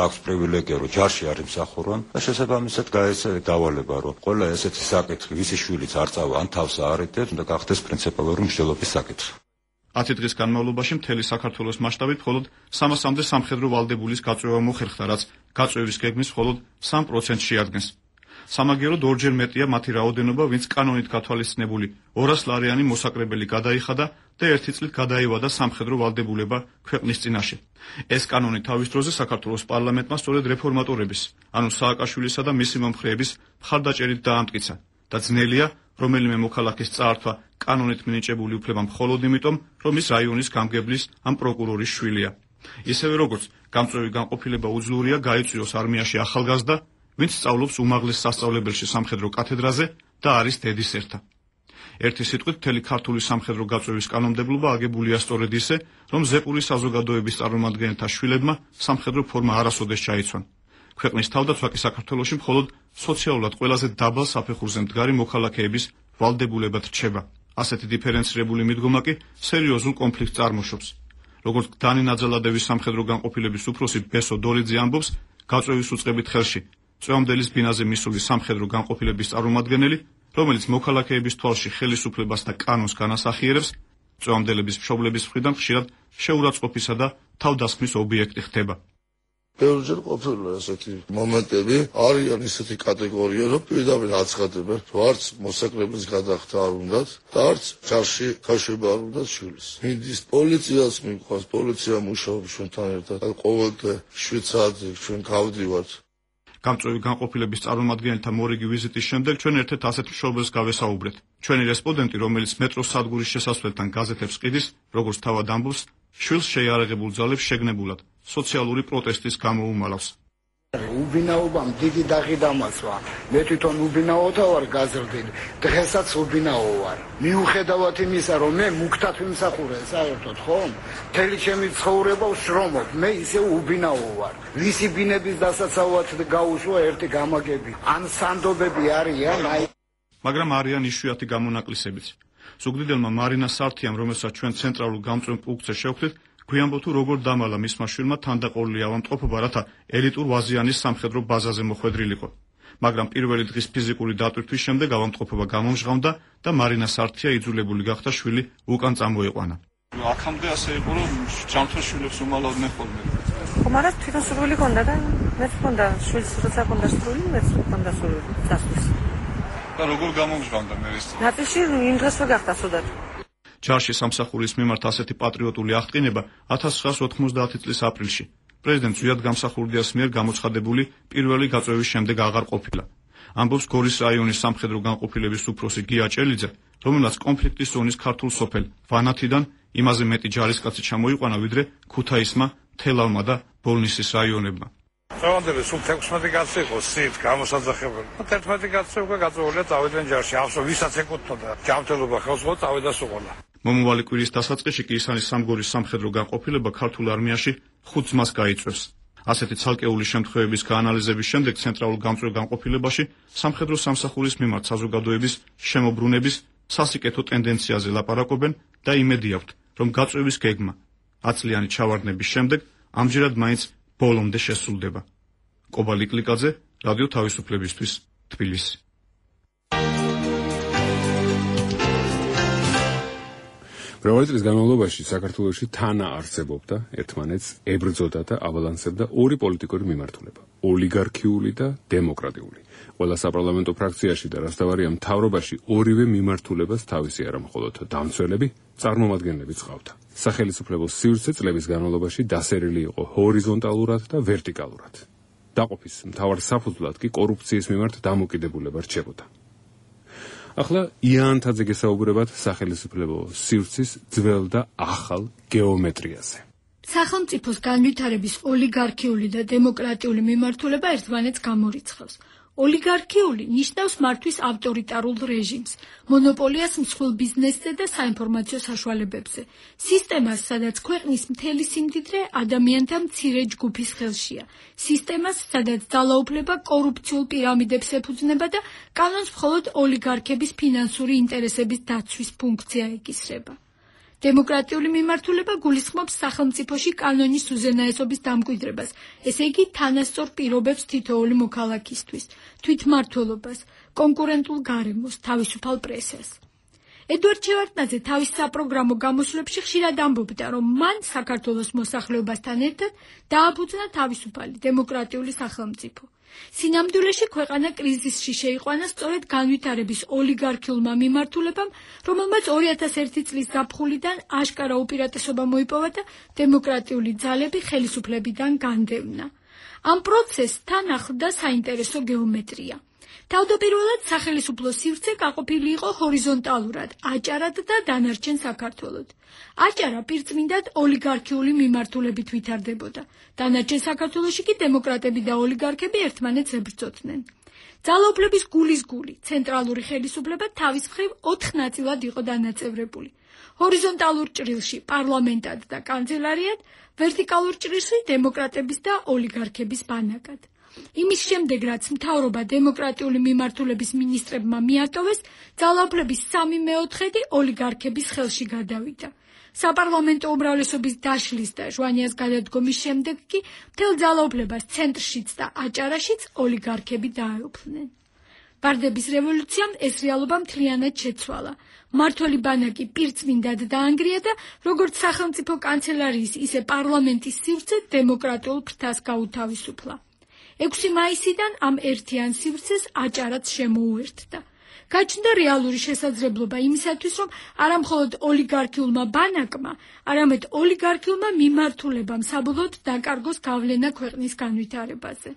აქვს პრივილეგია, რომ ჯარში არ იმსახურონ და შესაბამისად გაეცეს დავალება, რომ ყველა ესეთი საკითხი, ვისი შვილიც არ წავა ან თავს აარიდებს, უნდა გახდეს პრინციპალური მსჯელობის საკითხი. 10 დღის განმავლობაში მთელი საქართველოს მასშტაბით მხოლოდ 300-მდე სამხედრო ვალდებულის გაწვევა მოხერხდა, რაც გაწვევის გეგმის მხოლოდ 3%-ს შეადგენს. სამაგიეროდ ორჯერ მეტია მათი რაოდენობა, ვინც კანონით გათვალისწინებული 200 ლარიანი მოსაკრებელი გადაიხადა და ერთი წლით გადაივადა სამხედრო ვალდებულება ქვეყნის წინაშე. ეს კანონი თავის დროზე საქართველოს პარლამენტმა სწორედ რეფორმატორების, ანუ სააკაშვილისა და მისი მომხრეების მხარდაჭერით დაამტკიცა და ძნელია რომელიმე მოქალაქის წაართვა კანონით მინიჭებული უფლება მხოლოდ იმიტომ, რომ ის რაიონის გამგებლის ან პროკურორის შვილია. ისევე როგორც გამწვევი განყოფილება უძლურია გაიწვიოს არმიაში ახალგაზრდა, ვინც სწავლობს უმაღლეს სასწავლებელში სამხედრო კათედრაზე და არის დედის ერთა. ერთი სიტყვით, მთელი ქართული სამხედრო გაწვევის კანონმდებლობა აგებულია სწორედ ისე, რომ ზეპური საზოგადოების წარმომადგენელთა შვილებმა სამხედრო ფორმა არასოდეს ჩაიცვან. ქვეყნის თავდაცვა კი საქართველოში მხოლოდ სოციალურად ყველაზე დაბალ საფეხურზე მდგარი მოქალაქეების ვალდებულებად რჩება. ასეთი დიფერენცირებული მიდგომა კი სერიოზულ კონფლიქტს წარმოშობს. როგორც დანი ნაძალადევის სამხედრო განყოფილების უფროსი ბესო დოლიძე ამბობს, გაწვევის უწყებით ხელში წვეომდელის ბინაზე მისული სამხედრო განყოფილების წარმომადგენელი, რომელიც მოქალაქეების თვალში ხელისუფლებას და კანონს განასახიერებს, წვეომდელების მშობლების მხრიდან ხშირად შეურაცხყოფისა და თავდასხმის ობიექტი ხდება. ბევრჯერ ყოფილა ესეთი მომენტები, არიან ისეთი კატეგორია, რომ პირდაპირ აცხადებენ, რომ არც მოსაკრებლის გადახდა არ უნდათ და არც ჯარში გაშვება არ უნდათ შვილის. მინდის პოლიციას მიყვარს, პოლიცია მუშაობს ჩვენთან ერთად, ყოველდღე 7 საათზე ჩვენ გავდივართ. გამწვევი განყოფილების წარმომადგენელთა მორიგი ვიზიტის შემდეგ ჩვენ ერთ-ერთ ასეთ მშობელს გავესაუბრეთ. ჩვენი რესპონდენტი, რომელიც მეტროს სადგურის შესასვლელთან გაზეთებს ყიდის, როგორც თავად ამბობს, შვილს შეიარაღებულ ძალებს შეგნებულად სოციალური პროტესტის გამო უმალავს. უბინაობამ დიდი დაღი დამასვა. მე თვითონ უბინაოთა ვარ გაზრდილი, დღესაც უბინაო ვარ. მიუხედავად იმისა, რომ მე მუქთად ვიმსახურე საერთოდ, ხომ? მთელი ჩემი ცხოვრება ვშრომობ, მე ისე უბინაო ვარ. ვისი ბინების დასაცავად გაუშვა ერთი გამაგები. ან სანდობები არიან, მაგრამ არიან იშვიათი გამონაკლისებიც. ზუგდიდელმა მარინა სართიამ, რომელსაც ჩვენ ცენტრალურ გამწვევ პუნქტზე შევხვდით, გვიანბო თუ როგორ დამალა მისმა შვილმა თანდაყოლილი ავადმყოფობა, რათა ელიტურ ვაზიანის სამხედრო ბაზაზე მოხვედრილიყო. მაგრამ პირველი დღის ფიზიკური დატვირთვის შემდეგ ავადმყოფობა გამომჟღავნდა და მარინა სართია იძულებული გახდა შვილი უკან წამოეყვანა. აქამდე ასე იყო, რომ ჯანმრთელ შვილებს უმალავდნენ ხოლმე. მაგრამ თვითონ სრული ჰქონდა და მეც ჰქონდა შვილს, როცა ჰქონდა სრული, მეც ჰქონდა სრული დასვლის. და როგორ გამომჟღავნდა მე ეს? ნატიში იმ დღესვე გახდა სუდად. ჯარში სამსახურის მიმართ ასეთი პატრიოტული აღდგენება 1990 წლის აპრილში პრეზიდენტ ზვიად გამსახურდიას მიერ გამოცხადებული პირველი გაწვევის შემდეგ აღარ ყოფილა. ამბობს გორის რაიონის სამხედრო განყოფილების უფროსი გია ჭელიძე, რომელსაც კონფლიქტის ზონის ქართულ სოფელ ვანათიდან იმაზე მეტი ჯარისკაცი ჩამოიყვანა, ვიდრე ქუთაისმა, თელავმა და ბოლნისის რაიონებმა. წვეომდელი სულ 16 კაცი იყო სით გამოსაძახებელი. 11 კაცი უკვე გაწვეულია წავიდნენ ჯარში. ახსო ვისაც ეკუთვნოდა ჯანმრთელობა ხელს ხო წავიდა სუყოლა. მომავალი კვირის დასაწყისში კი ისანის სამგორის სამხედრო განყოფილება ქართულ არმიაში 5 ძმას გაიწვევს. ასეთი ცალკეული შემთხვევების გაანალიზების შემდეგ ცენტრალურ გამწვევ განყოფილებაში სამხედრო სამსახურის მიმართ საზოგადოების შემოbrunების სასიკეთო ტენდენციაზე ლაპარაკობენ და იმედი აქვთ, რომ გაწვევის გეგმა 10 წლიანი ჩავარდნების შემდეგ ამჯერად მაინც ბოლომდე შესრულდება. კობალი კლიკაძე, რადიო თავისუფლებისთვის, თბილისი. მრავალი წლის განმავლობაში საქართველოში თანა არსებობდა, ერთმანეთს ებრძოდა და აბალანსებდა ორი პოლიტიკური მიმართულება: ოლიგარქიული და დემოკრატიული. ყველა საპარლამენტო ფრაქციაში და რასთავარია მთავრობაში ორივე მიმართულებას თავისი არა მხოლოდ დამცველები, წარმომადგენლებიც ჰყავდა. სახელმწიფო სივრცე წლების განმავლობაში დასერილი იყო ჰორიზონტალურად და ვერტიკალურად. დაყოფის მთავარ საფუძვლად კი კორუფციის მიმართ დამოკიდებულება რჩებოდა. ახლა იანთაძე გესაუბრებათ სახელმწიფო სივრცის ძველ და ახალ გეომეტრიაზე. სახელმწიფოს განვითარების ოლიგარქიული და დემოკრატიული მიმართულება ერთმანეთს გამორიცხავს. ოლიგარქიული ნიშნავს მართვის ავტორიტარულ რეჟიმს, მონოპოლიას მსხვილ ბიზნესზე და საინფორმაციო საშუალებებზე. სისტემას, სადაც ქვეყნის მთელი სიმდიდრე ადამიანთა მცირე ჯგუფის ხელშია. სისტემას, სადაც ძალაუფლება კორუფციულ პირამიდებს ეფუძნება და კანონს მხოლოდ ოლიგარქების ფინანსური ინტერესების დაცვის ფუნქცია ეკისრება. დემოკრატიული მიმართულება გულისხმობს სახელმწიფოში კანონის უზენაესობის დამკვიდრებას, ესე იგი თანასწორ პირობებს თითოეული მოქალაქისთვის, თვითმმართველობას, კონკურენტულ გარემოს, თავისუფალ პრესას. ედვარდ შევარდნაძე თავის საპროგრამო გამოსვლებში ხშირად ამბობდა, რომ მან საქართველოს მოსახლეობასთან ერთად დააფუძნა თავისუფალი დემოკრატიული სახელმწიფო. სინამდვილეში ქვეყანა კრიზისში შეიყვანა სწორედ განვითარების ოლიგარქიულმა მიმართულებამ, რომელმაც 2001 წლის ზაფხულიდან აშკარა უპირატესობა მოიპოვა და დემოკრატიული ძალები ხელისუფლებიდან განდევნა. ამ პროცესს თან ახლდა საინტერესო გეომეტრია. თავდაპირველად სახელისუფლო სივრცე გაყოფილი იყო ჰორიზონტალურად, აჭარად და დანარჩენ საქართველოდ. აჭარა პირწმინდად ოლიგარქიული მიმართულებით ვითარდებოდა. დანარჩენ საქართველოში კი დემოკრატები და ოლიგარქები ერთმანეთს ებრძოდნენ. ძალაუფლების გულის გული, ცენტრალური ხელისუფლება თავის მხრივ 4 ნაწილად იყო დანაწევრებული. ჰორიზონტალურ ჭრილში პარლამენტად და კანცელარიად, ვერტიკალურ ჭრილში დემოკრატების და ოლიგარქების ბანაკად. იმის შემდეგ, რაც მთავრობა დემოკრატიული მიმართულების მინისტრებმა მიატოვეს, ძალაუფლების 3/4 ოლიგარქების ხელში გადავიდა. საპარლამენტო უმრავლესობის დაშლის და ჟვანიას გადადგომის შემდეგ კი მთელ ძალაუფლებას ცენტრშიც და აჭარაშიც ოლიგარქები დაეუფლნენ. ბარდების რევოლუციამ ეს რეალობა მთლიანად შეცვალა. მმართველი ბანაკი პირწმინდად დაანგრია და როგორც სახელმწიფო კანცელარიის, ისე პარლამენტის სივრცე დემოკრატიულ ფრთას გაუთავისუფლა. 6 მაისიდან ამ ერთიან სივრცეს აჭარაც შემოუერთდა. გაჩნდა რეალური შესაძლებლობა იმისათვის, რომ არა მხოლოდ ოლიგარქიულმა ბანაკმა, არამედ ოლიგარქიულმა მიმართულებამ საბოლოოდ დაკარგოს გავლენა ქვეყნის განვითარებაზე.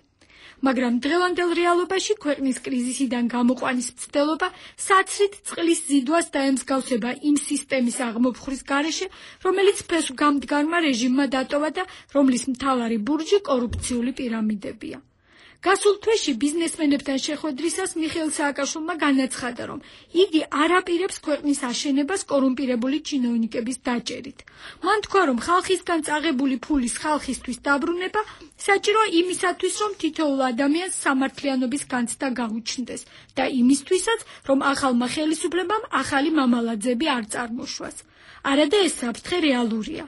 მაგრამ დღევანდელ რეალობაში ქვეყნის კრიზისიდან გამოყვანის მცდელობა საცრით წყლის ზიდვას დაემსგავსება იმ სისტემის აღმოფხვრის გარეშე, რომელიც ფესვგამდგარმა რეჟიმმა დატოვა და რომლის მთავარი ბურჯი კორუფციული პირამიდებია. გასულ თვეში ბიზნესმენებთან შეხვედრისას მიხეილ სააკაშვილმა განაცხადა, რომ იგი არ აპირებს ქვეყნის აშენებას კორუმპირებული ჩინოვნიკების დაჭერით. მან თქვა, რომ ხალხისგან წაღებული ფულის ხალხისთვის დაბრუნება საჭიროა იმისათვის, რომ თითოეულ ადამიანს სამართლიანობის განცდა გაუჩნდეს და იმისთვისაც, რომ ახალმა ხელისუფლებამ ახალი მამალაძეები არ წარმოშვას. არადა ეს საფრთხე რეალურია.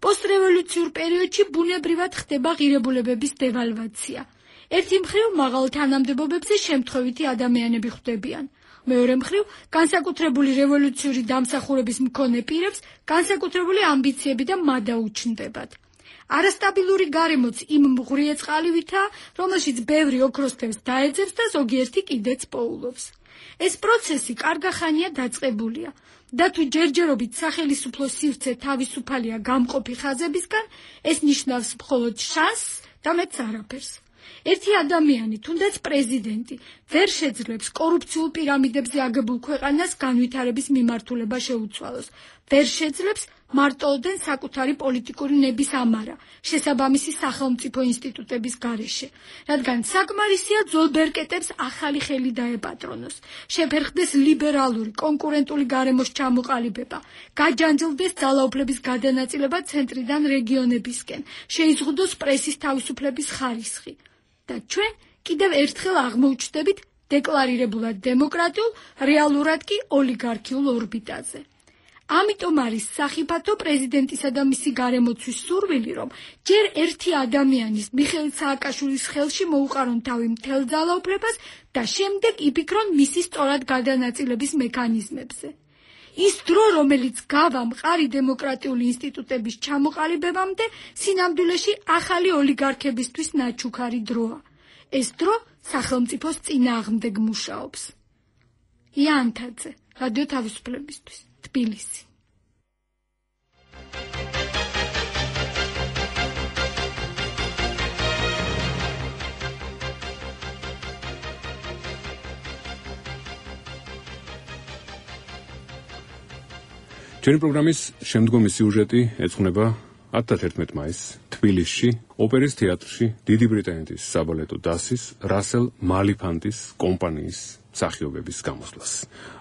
პოსტრევოლუციურ პერიოდში ბუნებრივად ხდება ღირებულებების დევალვაცია. ერთი მხრივ მაღალ თანამდებობებზე შემთხვევითი ადამიანები ხვდებიან. მეორე მხრივ განსაკუთრებული რევოლუციური დამსახურების მქონე პირებს განსაკუთრებული ამბიციები და მადა უჩნდებათ. არასტაბილური გარემოც იმ მღვრიე წყალივითაა, რომელშიც ბევრი ოქროსთევს დაეძებს და ზოგიერთი კიდეც პოულობს. ეს პროცესი კარგახანია დაწყებულია და თუ ჯერჯერობით სახელისუფლო სივრცე თავისუფალია გამყოფი ხაზებისგან, ეს ნიშნავს მხოლოდ შანსს და მეც არაფერს. ერთი ადამიანი, თუნდაც პრეზიდენტი, ვერ შეძლებს კორუფციულ პირამიდებზე აგებულ ქვეყანას განვითარების მიმართულება შეუცვალოს. ვერ შეძლებს მარტოოდენ საკუთარი პოლიტიკური ნების ამარა, შესაბამისი სახელმწიფო ინსტიტუტების გარეშე, რადგან საკმარისია ძველ ბერკეტებს ახალი ხელი დაეპატრონოს, შეფერხდეს ლიბერალური, კონკურენტული გარემოს ჩამოყალიბება, გაჯანჯლდეს ძალაუფლების გადანაწილება ცენტრიდან რეგიონებისკენ, შეიზღუდოს პრესის თავისუფლების ხარისხი. და ჩვენ კიდევ ერთხელ აღმოუჩნდებით დეკლარირებულად დემოკრატიულ, რეალურად კი ოლიგარქიულ ორბიტაზე. ამიტომ არის სახიფათო პრეზიდენტისა და მისი გარემოცვის სურვილი, რომ ჯერ ერთი ადამიანის, მიხეილ სააკაშვილის ხელში მოუყარონ თავი მთელ ძალაუფლებას და შემდეგ იფიქრონ მისი სწორად გადანაწილების მექანიზმებზე. ის დრო, რომელიც გავა მყარი დემოკრატიული ინსტიტუტების ჩამოყალიბებამდე, სინამდვილეში ახალი ოლიგარქებისთვის ნაჩუქარი დროა. ეს დრო სახელმწიფოს წინააღმდეგ მუშაობს. იანთაძე, რადიო თავისუფლებისთვის, თბილისი. ჩვენი პროგრამის შემდგომი სიუჟეტი ეძღვნება 11 მაისს თბილისში, ოპერის თეატრში დიდი ბრიტანეთის საბალეტო დასის რასელ მალიფანტის კომპანიის მსახიობების გამოსვლას.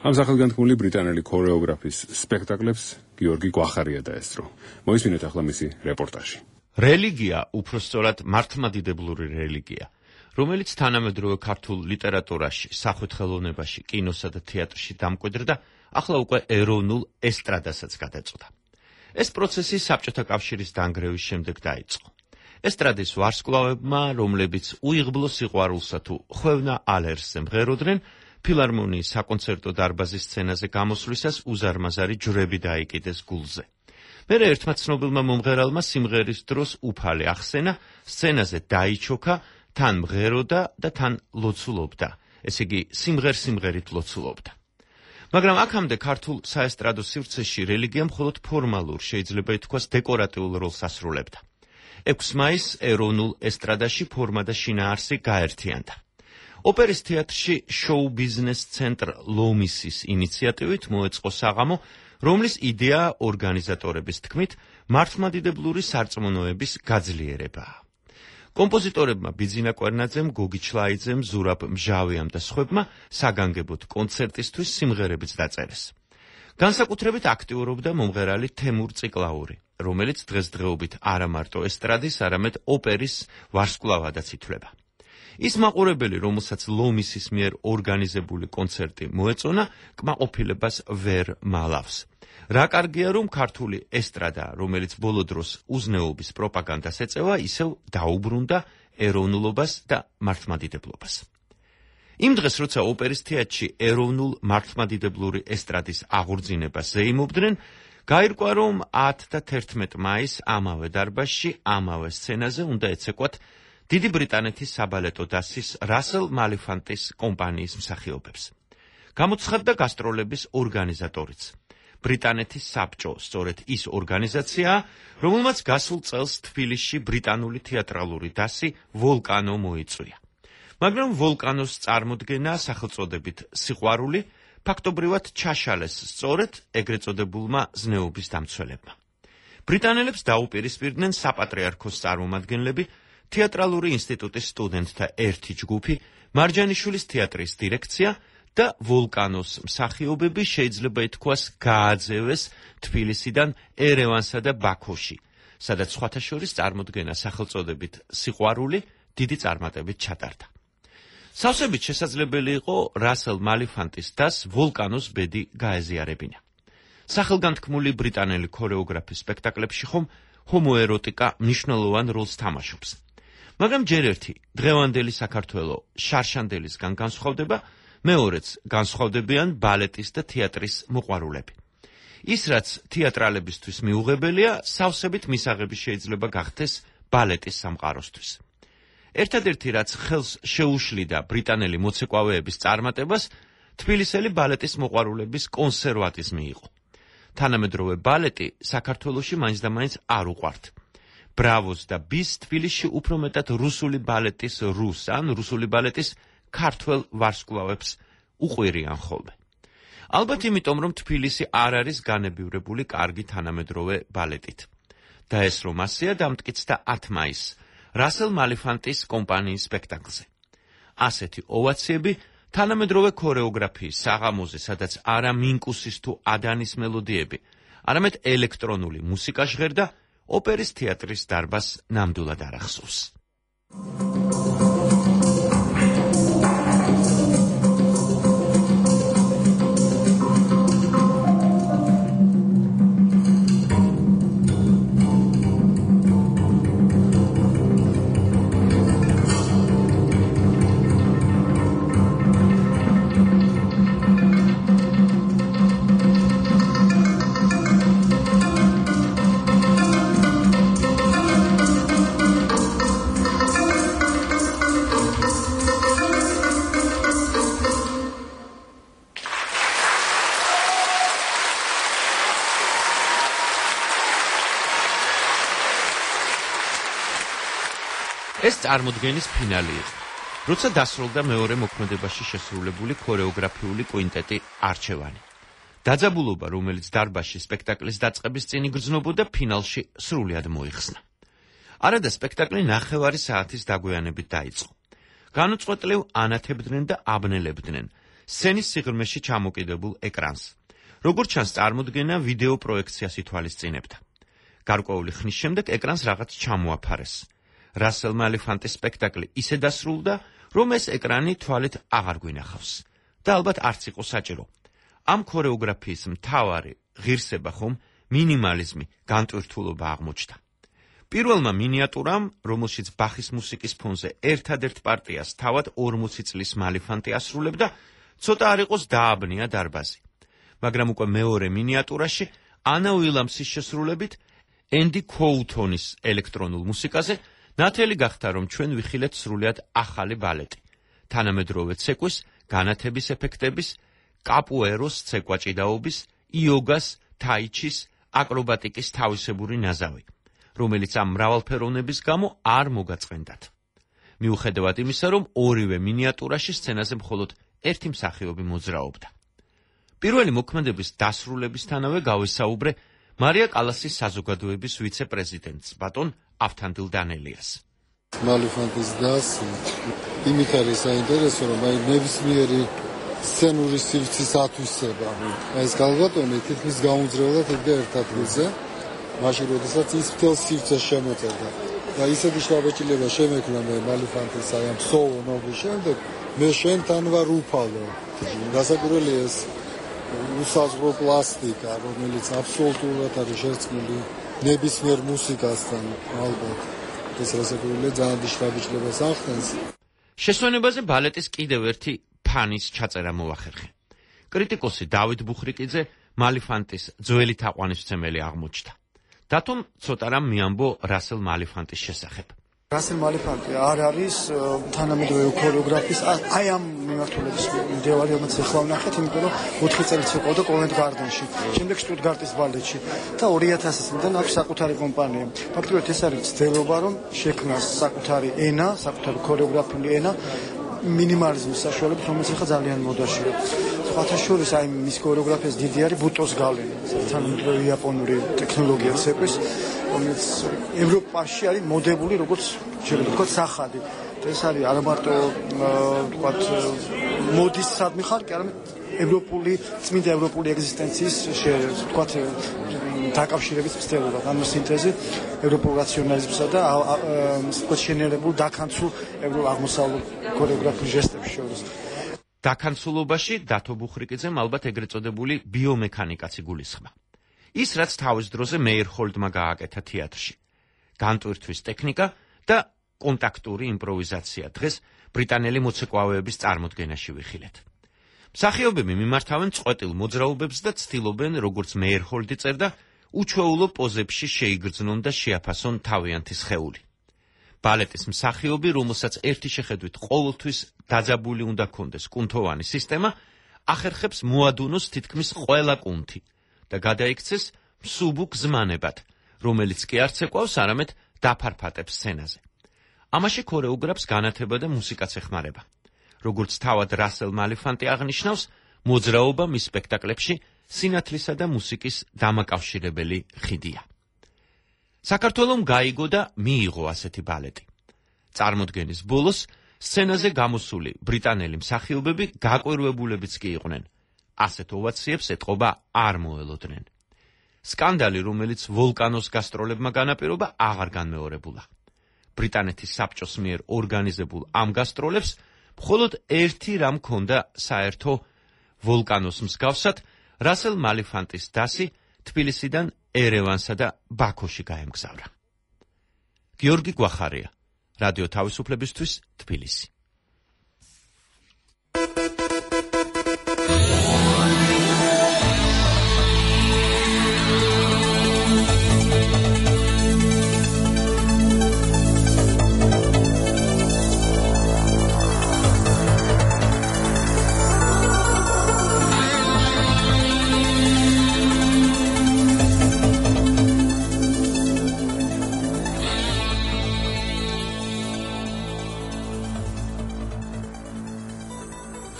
ამ სახელგანთქმული ბრიტანელი ქორეოგრაფის სპექტაკლებს გიორგი გვახარია დაესწრო. მოისმინეთ ახლა მისი რეპორტაჟი. რელიგია, უпростоრად მართლმადიდებლური რელიგია, რომელიც თანამედროვე ქართულ ლიტერატურაში, სახვითხელოვნებაში, კინოსა და თეატრში დამკვიდრდა, ახლა უკვე ეროვნულ ესტრადასაც გადაწყვეტა. ეს პროცესი საბჭოთა კავშირის დანგრევის შემდეგ დაიწყო. ესტრადის ვარსკვლავებმა, რომლებიც უიღბლო სიყვარულსა თუ ხვევნა ალერს ემღეროდნენ, ფილარმონიის საკონცერტო დარბაზის სცენაზე გამოსვლისას უზარმაზარი ჯვრები დაიკიდეს გულზე. მერე ერთმა ცნობილმა მომღერალმა სიმღერის დროს უფალი ახსენა, სცენაზე დაიჩოქა, თან მღეროდა და თან ლოცულობდა, ესე იგი სიმღერით ლოცულობდა. მაგრამ აქამდე ქართულ საესტრადო სივრცეში რელიგია მხოლოდ ფორმალურ, შეიძლება ითქვას დეკორატიულ როლს ასრულებდა. 6 მაისს ეროვნულ ესტრადაში ფორმა და შინაარსი გაერთიანდა. ოპერის თეატრში შოუ ბიზნეს ცენტრ ლომისის ინიციატივით მოეწყო საღამო, რომლის იდეა ორგანიზატორების თქმით მართლმადიდებლური სარწმუნოების გაძლიერებაა. კომპოზიტორებმა ბიძინა კვერნაძემ, გოგი ჩლაიძემ, ზურაბ მჟავიამ და სხვებმა საგანგებოდ კონცერტისთვის სიმღერებიც დაწერეს. განსაკუთრებით აქტიურობდა მომღერალი თემურ ციკლაური, რომელიც დღესდღეობით არა მარტო ესტრადის, არამედ ოპერის ვარსკვლავადაც ითვლება. ის მაყურებელი, რომელსაც ლომისის მიერ ორგანიზებული კონცერტი მოეწონა, კმაყოფილებას ვერ მალავს. რა კარგია, რომ ქართული ესტრადა, რომელიც ბოლო დროს უზნეობის პროპაგანდას ეწევა, ისევ დაუბრუნდა ეროვნულობას და მართლმადიდებლობას. იმ დღეს, როცა ოპერის თეატრში ეროვნულ მართლმადიდებლური ესტრადის აღორძინებას ზეიმობდნენ, გაირკვა, რომ 10 და 11 მაისს ამავე დარბაზში, ამავე სცენაზე უნდა ეცეკვათ დიდი ბრიტანეთის საბალეტო დასის რასელ მალიფანტის კომპანიის მსახიობებს. გამოცხადდა გასტროლების ორგანიზატორიც. ბრიტანეთის საბჭო, სწორედ ის ორგანიზაციაა, რომელმაც გასულ წელს თბილისში ბრიტანული თეატრალური დასი ვოლკანო მოიწვია. მაგრამ ვოლკანოს წარმოდგენა სახელწოდებით სიყვარული ფაქტობრივად ჩაშალეს სწორედ ეგრეთ წოდებულმა ზნეობის დამცველებმა. ბრიტანელებს დაუპირისპირდნენ საპატრიარქოს წარმომადგენლები, თეატრალური ინსტიტუტის სტუდენტთა ერთი ჯგუფი, მარჯანიშვილის თეატრის დირექცია და ვოლკანოს მსახიობები შეიძლება ითქვას გააძევეს თბილისიდან ერევანსა და ბაქოში, სადაც სხვათა შორის წარმოდგენა სახელწოდებით სიყვარული დიდი წარმატებით ჩატარდა. სავსებით შესაძლებელი იყო რასელ მალიფანტის დას ვოლკანოს ბედი გაეზიარებინა. სახელგანთქმული ბრიტანელი ქორეოგრაფის სპექტაკლებში ხომ ჰომოეროტიკა მნიშვნელოვან როლს თამაშობს. მაგრამ ჯერ ერთი დღევანდელი საქართველო შარშანდელისგან განსხვავდება, მეორეც განსხვავდებიან ბალეტის და თეატრის მოყვარულები. ის, რაც თეატრალებისთვის მიუღებელია, სავსებით მისაღები შეიძლება გახდეს ბალეტის სამყაროსთვის. ერთადერთი, რაც ხელს შეუშლიდა ბრიტანელი მოცეკვავეების წარმატებას, თბილისელი ბალეტის მოყვარულების კონსერვატიზმი იყო. თანამედროვე ბალეტი საქართველოში მაინც და მაინც არ უყვართ. ბრავოს და ბის თბილისში უფრო მეტად რუსული ბალეტის ან რუსული ბალეტის ქართველ ვარსკვლავებს უყვირიან ხოლმე. ალბათ იმიტომ, რომ თბილისი არ არის განებივრებული კარგი თანამედროვე ბალეტით. და ეს რომ ასეა, დამტკიცდა 10 მაისს რასელ მალიფანტის კომპანიის სპექტაკლზე. ასეთი ოვაციები თანამედროვე ქორეოგრაფიის საღამოზე, სადაც არა მინკუსის თუ ადანის მელოდიები, არამედ ელექტრონული მუსიკა ჟღერდა, ოპერის თეატრის დარბაზს ნამდვილად არ ახსოვს. ეს წარმოდგენის ფინალი იყო, როცა დასრულდა მეორე მოქმედებაში შესრულებული ქორეოგრაფიული კვინტეტი არჩევანი. დაძაბულობა, რომელიც დარბაზში სპექტაკლის დაწყების წინ იგრძნობოდა, ფინალში სრულიად მოიხსნა. არადა სპექტაკლი 9 საათის დაგვიანებით დაიწყო. განუწყვეტლივ ანათებდნენ და აბნელებდნენ სცენის სიღრმეში ჩამოკიდებულ ეკრანს. როგორც ჩანს, წარმოდგენა ვიდეო პროექციას ითვალისწინებდა. გარკვეული ხნის შემდეგ ეკრანს რაღაც ჩამოაფარეს. რასელ მალიფანტის სპექტაკლი ისე დასრულდა, რომ ეს ეკრანი თვალით აღარ გვინახავს და ალბათ არც იყო საჭირო. ამ ქორეოგრაფიის მთავარი ღირსება ხომ მინიმალიზმი, განტვირთულობა აღმოჩნდა. პირველმა მინიატურამ, რომელშიც ბახის მუსიკის ფონზე ერთადერთ პარტიას თავად 40 წლის მალიფანტი ასრულებდა, ცოტა არ იყოს დააბნია დარბაზი. მაგრამ უკვე მეორე მინიატურაში ანა უილამსის შესრულებით ენდი ქოუთონის ელექტრონულ მუსიკაზე ნათელი გახდა, რომ ჩვენ ვიხილეთ სრულიად ახალი ბალეტი. თანამედროვე ცეკვის, განათების ეფექტების, კაპუეროს ცეკვაჭიდაობის, იოგას, თაიჩის, აკრობატიკის თავისებური ნაზავი, რომელიც ამ მრავალფეროვნების გამო არ მოგაწყენდათ. მიუხედავად იმისა, რომ ორივე მინიატურაში სცენაზე მხოლოდ ერთი მსახიობი მოძრაობდა. პირველი მოქმედების დასრულებისთანავე გავესაუბრე მარია კალასის საზოგადოების ვიცე-პრეზიდენტს, ბატონ ავთანდილ დანელიას. მალიფანტის დასი იმით არის საინტერესო, რომ ნებისმიერი სცენური სივრცის ათვისება. ეს გალბატონი თითქმის გაუძრევლად იდგა ერთ ადგილზე, მაშინ როდესაც ის მთელ სივრცეს შემოწერდა. და ისეთი შთაბეჭდილება შემექმნა მე მალიფანტის ამ სოლო ნობის შემდეგ, მე შენთან ვარ უფალო. გასაკვირველია ეს უსაზღვრო პლასტიკა, რომელიც აბსოლუტურად არის შერწყმული ნებისმიერ მუსიკასთან, ალბათ. ეს რასაკვირველია ძალიან დიდ შთაბეჭდილებას ახდენს. შესვენებაზე ბალეტის კიდევ ერთი ფანის ჩაწერა მოახერხე. კრიტიკოსი დავით ბუხრიკიძე მალიფანტის ძველი თაყვანისმცემელი აღმოჩნდა. დათომ ცოტა რამ მიამბო რასელ მალიფანტის შესახებ. რასელ მალიფანტი არ არის თანამედროვე ქორეოგრაფის აი ამ მიმართულების მდევარი, რომელიც ახლა ვნახეთ, იმიტომ რომ 4 წელიწად იყო კოვენტ გარდენში, შემდეგ შტუტგარტის ბალეტში და 2000 წლიდან აქვს საკუთარი კომპანია. ფაქტობრივად ეს არის ცდილობა, რომ შექმნას საკუთარი ენა, საკუთარი ქორეოგრაფიული ენა მინიმალიზმის საშუალებით, რომელიც ახლა ძალიან მოდაშია. სხვათა შორის აი მის ქორეოგრაფიას დიდი არის ბუტოს გავლენა, თანამედროვე იაპონური ტექნოლოგია ცეკვის, რომელიც ევროპაში არის მოდებული როგორც შეიძლება ვთქვათ სახადი. ეს არის არა მარტო ვთქვათ მოდის სადმი ხარკი, არამედ ევროპული წმინდა ევროპული ეგზისტენციის ვთქვათ დაკავშირების მცდელობა, ანუ სინთეზი ევროპულ რაციონალიზმსა და ვთქვათ შენერებულ დაქანცულ აღმოსავლურ ქორეოგრაფიულ ჟესტებს შორის. დაქანცულობაში დათო ბუხრიკიძემ ალბათ ეგრეთ წოდებული ბიომექანიკაც იგულისხმა. ის რაც თავის დროზე მეიერჰოლდმა გააკეთა თეატრში. განტვირთვის ტექნიკა და კონტაქტური იმპროვიზაცია დღეს ბრიტანელი მოცეკვავეების წარმოდგენაში ვიხილეთ. მსახიობები მიმართავენ წყვეტილ მოძრაობებს და ცდილობენ, როგორც მეიერჰოლდი წერდა, უჩვეულო პოზებში შეიგრძნონ და შეაფასონ თავიანთი სხეული. ბალეტის მსახიობი, რომელსაც ერთი შეხედვით ყოველთვის დაძაბული უნდა ქონდეს კუნთოვანი სისტემა, ახერხებს მოადუნოს თითქმის ყველა კუნთი და გადაიქცეს მსუბუქ ზმანებად, რომელიც კი არც ეკვავს, არამედ დაფარფატებს სცენაზე. ამაში ქორეოგრაფს განათება და მუსიკაც ეხმარება. როგორც თავად რასელ მალიფანტი აღნიშნავს, მოძრაობა მის სპექტაკლებში სინათლისა და მუსიკის დამაკავშირებელი ხიდია. საქართველომ გაიგო და მიიღო ასეთი ბალეტი. წარმოდგენის ბოლოს სცენაზე გამოსული ბრიტანელი მსახიობები გაკვირვებულებიც კი იყვნენ. ასეთ ოვაციებს ეტყობა არ მოელოდნენ. სკანდალი, რომელიც ვოლკანოს გასტროლებმა განაპირობა, აღარ განმეორებულა. ბრიტანეთის საბჭოს მიერ ორგანიზებულ ამ გასტროლებს მხოლოდ ერთი რამ ჰქონდა საერთო ვოლკანოს მსგავსად, რასელ მალიფანტის დასი თბილისიდან ერევანსა და ბაქოში გაემგზავრა. გიორგი გვახარია, რადიო თავისუფლებისთვის, თბილისი.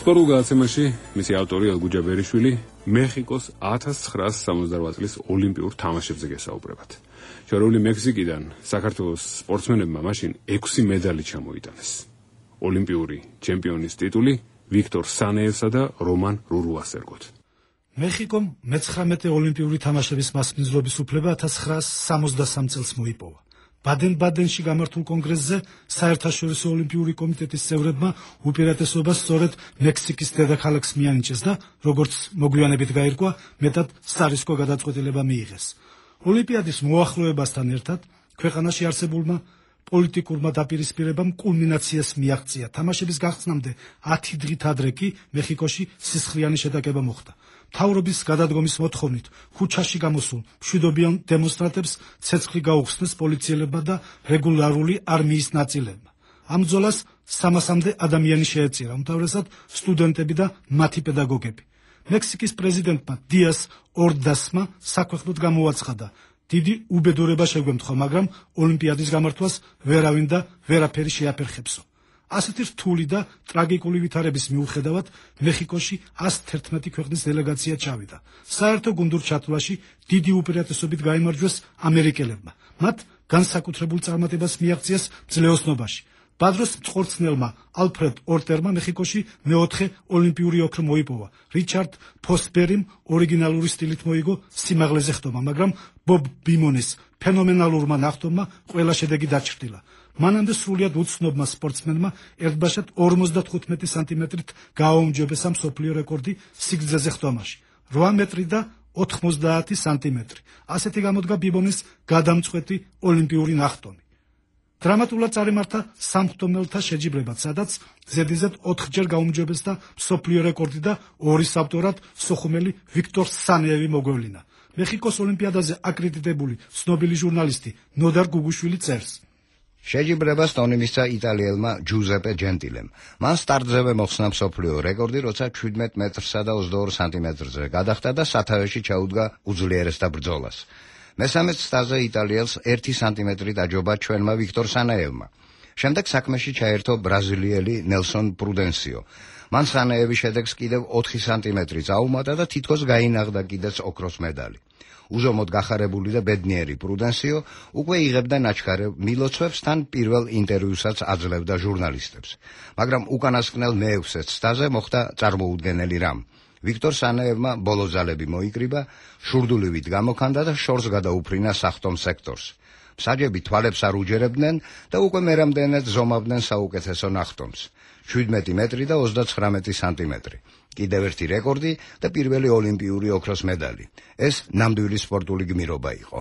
სპორტულ გადაცემაში მისი ავტორი ელგუჯა ბერიშვილი მეხიკოს 1968 წლის ოლიმპიურ თამაშებზე გესაუბრებათ. შორეული მექსიკიდან საქართველოს სპორტსმენებმა მაშინ 6 მედალი ჩამოიტანეს. ოლიმპიური ჩემპიონის ტიტული ვიქტორ სანეევსა და რომან რურუას ერგოთ. მეხიკომ მე-19 ოლიმპიური თამაშების მასპინძლობის უფლება 1963 წელს მოიპოვა. ბადენ-ბადენში გამართულ კონგრესზე საერთაშორისო ოლიმპიური კომიტეტის წევრებმა უპირატესობა სწორედ მექსიკის დედაქალაქს მიანიჭეს და როგორც მოგვიანებით გაირკვა, მეტად სარისკო გადაწყვეტილება მიიღეს. ოლიმპიადის მოახლოებასთან ერთად ქვეყანაში არსებულმა პოლიტიკურმა დაპირისპირებამ კულმინაციას მიაღწია. თამაშების გახსნამდე 10 დღით ადრე კი მეხიკოში სისხლიანი შეტაკება მოხდა. მთავრობის გადადგომის მოთხოვნით ქუჩაში გამოსულ მშვიდობიან დემონსტრანტებს ცეცხლი გაუხსნეს პოლიციელებმა და რეგულარული არმიის ნაწილებმა. ამ ბრძოლას 300-მდე ადამიანი შეეწირა, უმთავრესად სტუდენტები და მათი პედაგოგები. მექსიკის პრეზიდენტმა დიას ორდასმა საქვეყნოდ გამოაცხადა: დიდი უბედურება შეგვემთხვა, მაგრამ ოლიმპიადის გამართვას ვერავინ და ვერაფერი შეაფერხებსო. ასეთი რთული და ტრაგიკული ვითარების მიუხედავად მეხიკოში 111 ქვეყნის დელეგაცია ჩავიდა. საერთო გუნდურ ჩათვლაში დიდი უპირატესობით გაიმარჯვეს ამერიკელებმა. მათ განსაკუთრებულ წარმატებას მიაღწიეს ძლეოსნობაში. ბადროს მწყორცნელმა ალფრედ ორტერმა მეხიკოში მეოთხე ოლიმპიური ოქრო მოიპოვა. რიჩარდ ფოსბერიმ ორიგინალური სტილით მოიგო სიმაღლეზე ხტომა, მაგრამ ბობ ბიმონის ფენომენალურმა ნახტომმა ყველა შედეგი დაჩრდილა. მანამდე სრულიად უცნობმა სპორტსმენმა ერთბაშად 55 სანტიმეტრით გააუმჯობესა მსოფლიო რეკორდი სიგრძეზე ხტომაში 8 მეტრი და 90 სანტიმეტრი. ასეთი გამოდგა ბიბონის გადამწყვეტი ოლიმპიური ნახტომი. დრამატულად წარიმართა სამხტომელთა შეჯიბრებაც, სადაც ზედიზედ 4-ჯერ გაუმჯობესდა მსოფლიო რეკორდი და 2 ავტორად სოხუმელი ვიქტორ სანეევი მოგვევლინა. მეხიკოს ოლიმპიადაზე აკრედიტებული ცნობილი ჟურნალისტი ნოდარ გუგუშვილი წერს: შეჯიბრებას ტონი მისცა იტალიელმა ჯუზეპე ჯენტილემ. მან სტარტზევე მოხსნა მსოფლიო რეკორდი, როცა 17 მეტრსა და 22 სანტიმეტრზე გადახტა და სათავეში ჩაუდგა უძლიერესთა ბრძოლას. მესამე სტაზე იტალიელს 1 სანტიმეტრი დაჯობა ჩვენმა ვიქტორ სანეევმა. შემდეგ საქმეში ჩაერთო ბრაზილიელი ნელსონ პრუდენსიო. მან სანეევის შედეგს კიდევ 4 სანტიმეტრი წაუმატა და თითქოს გაინაღდა კიდეც ოქროს მედალი. უზომოდ გახარებული და ბედნიერი პრუდენსიო უკვე იღებდა ნაჩქარევ მილოცვებს, თან პირველ ინტერვიუსაც აძლევდა ჟურნალისტებს. მაგრამ უკანასკნელ მე-6 სტაზე მოხდა წარმოუდგენელი რამ. ვიქტორ სანეევმა ბოლო ძალები მოიკრიბა, შურდულივით გამოქანდა და შორს გადაუფრინა სახტომ სექტორს. მსაჯები თვალებს არ უჯერებდნენ და უკვე მერამდენედ ზომავდნენ საუკეთესო ნახტომს. 17 მეტრი და 39 სანტიმეტრი. კიდევ ერთი რეკორდი და პირველი ოლიმპიური ოქროს მედალი. ეს ნამდვილი სპორტული გმირობა იყო.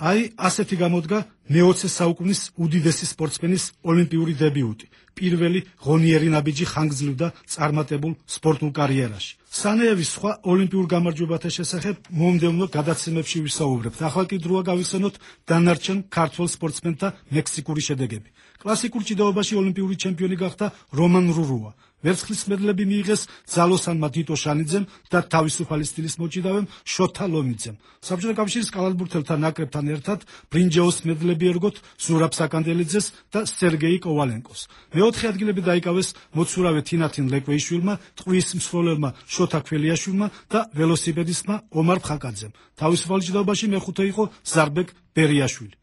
აი, ასეთი გამოდგა მე-20 საუკუნის უდიდესი სპორტსმენის ოლიმპიური დებიუტი. პირველი ღონიერი ნაბიჯი ხანგრძლივ და წარმატებულ სპორტულ კარიერაში. სანეევის სხვა ოლიმპიურ გამარჯვებათა შესახებ მომდევნო გადაცემებში ვისაუბრებთ. ახლა კი დროა გავიხსენოთ დანარჩენ ქართველ სპორტსმენთა მექსიკური შედეგები. კლასიკურ ჭიდაობაში ოლიმპიური ჩემპიონი გახდა რომან რურუა. ვერცხლის მედლები მიიღეს ძალოსანმა დიტო შანიძემ და თავისუფალი სტილის მოჭიდავემ შოთა ლომიძემ. საბჭოთა კავშირის კალათბურთელთა ნაკრებთან ერთად ბრინჯაოს მედლები ერგოთ ზურაბ საკანდელიძეს და სერგეი კოვალენკოს. მეოთხე ადგილები დაიკავეს მოცურავე თინათინ ლეკვეიშვილმა, ტყვის მსროლელმა შოთა ქველიაშვილმა და ველოსიპედისტმა ომარ ფხაკაძემ. თავისუფალ ჭიდაობაში მეხუთე იყო ზარბეკ ბერიაშვილი.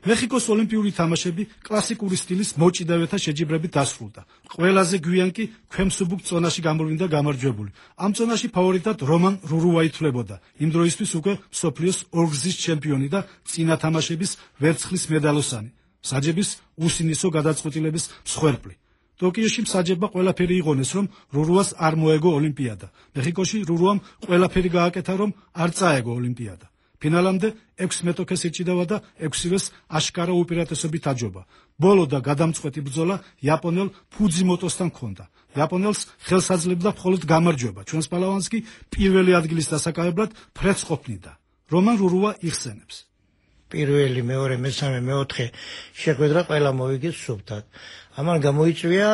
მეხიკოს ოლიმპიური თამაშები კლასიკური სტილის მოჭიდავეთა შეჯიბრებით დასრულდა. ყველაზე გვიან კი ქვემსუბუქ წონაში გამოვლინდა გამარჯვებული. ამ წონაში ფავორიტად რომან რურუა ითვლებოდა. იმ დროისთვის უკვე მსოფლიოს ორგზის ჩემპიონი და წინა თამაშების ვერცხლის მედალოსანი. მსაჯების უსინისო გადაწყვეტილების მსხვერპლი. ტოკიოში მსაჯებმა ყველაფერი იღონეს, რომ რურუას არ მოეგო ოლიმპიადა. მეხიკოში რურუამ ყველაფერი გააკეთა, რომ არ წაეგო ოლიმპიადა. ფინალამდე 6 მეტოქეს ეჭიდავა და 6-ვეს აშკარა უპირატესობით აჯობა. ბოლო და გადამწყვეტი ბრძოლა იაპონელ ფუძიმოტოსთან ჰქონდა. იაპონელს ხელს აძლევდა მხოლოდ გამარჯვება. ჩვენს პალავანს კი პირველი ადგილის დასაკავებლად ფრედს ყოფნიდა. რომან რურუა იხსენებს. პირველი, მეორე, მესამე, მეოთხე შეხვედრა ყველა მოვიგეს სუფთად. ამან გამოიწვია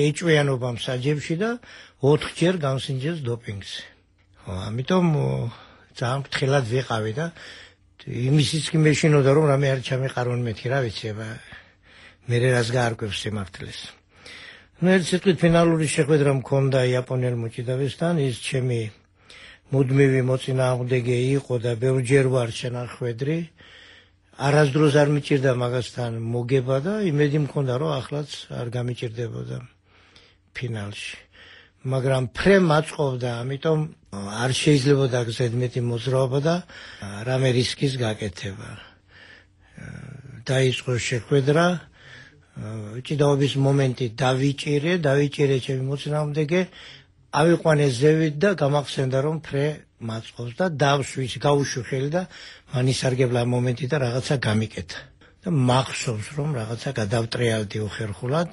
ეჭვიანობა მსაჯებში და 4-ჯერ გამსინჯეს დოპინგზე. ამიტომ ძალიან ფრთხილად ვიყავი და იმისიც კი მეშინოდა, რომ რამე არ ჩამეყარონ მეთქი, რა ვიცი, მე რას გაარკვევს სიმართლეს. ერთ სიტყვით ფინალური შეხვედრა მქონდა იაპონელ მოჭიდავესთან, ის ჩემი მუდმივი მოწინააღმდეგე იყო და ბევრჯერ ვარ შენახვედრი. არასდროს არ მიჭირდა მაგასთან მოგება და იმედი მქონდა, რომ ახლაც არ გამიჭირდებოდა ფინალში. მაგრამ ფრე მაწყობდა, ამიტომ არ შეიძლებოდა ზედმეტი მოძრაობა და რამე რისკის გაკეთება. დაიწყო შეხვედრა, ჭიდაობის მომენტი დავიჭირე ჩემი მოწინააღმდეგე, ავიყვანე ზევით და გამახსენდა, რომ ფრე მაწყობს და დავშვის, გაუშვი ხელი და მან ისარგებლა მომენტი და რაღაცა გამიკეთა. და მახსოვს, რომ რაღაცა გადავტრიალდი უხერხულად,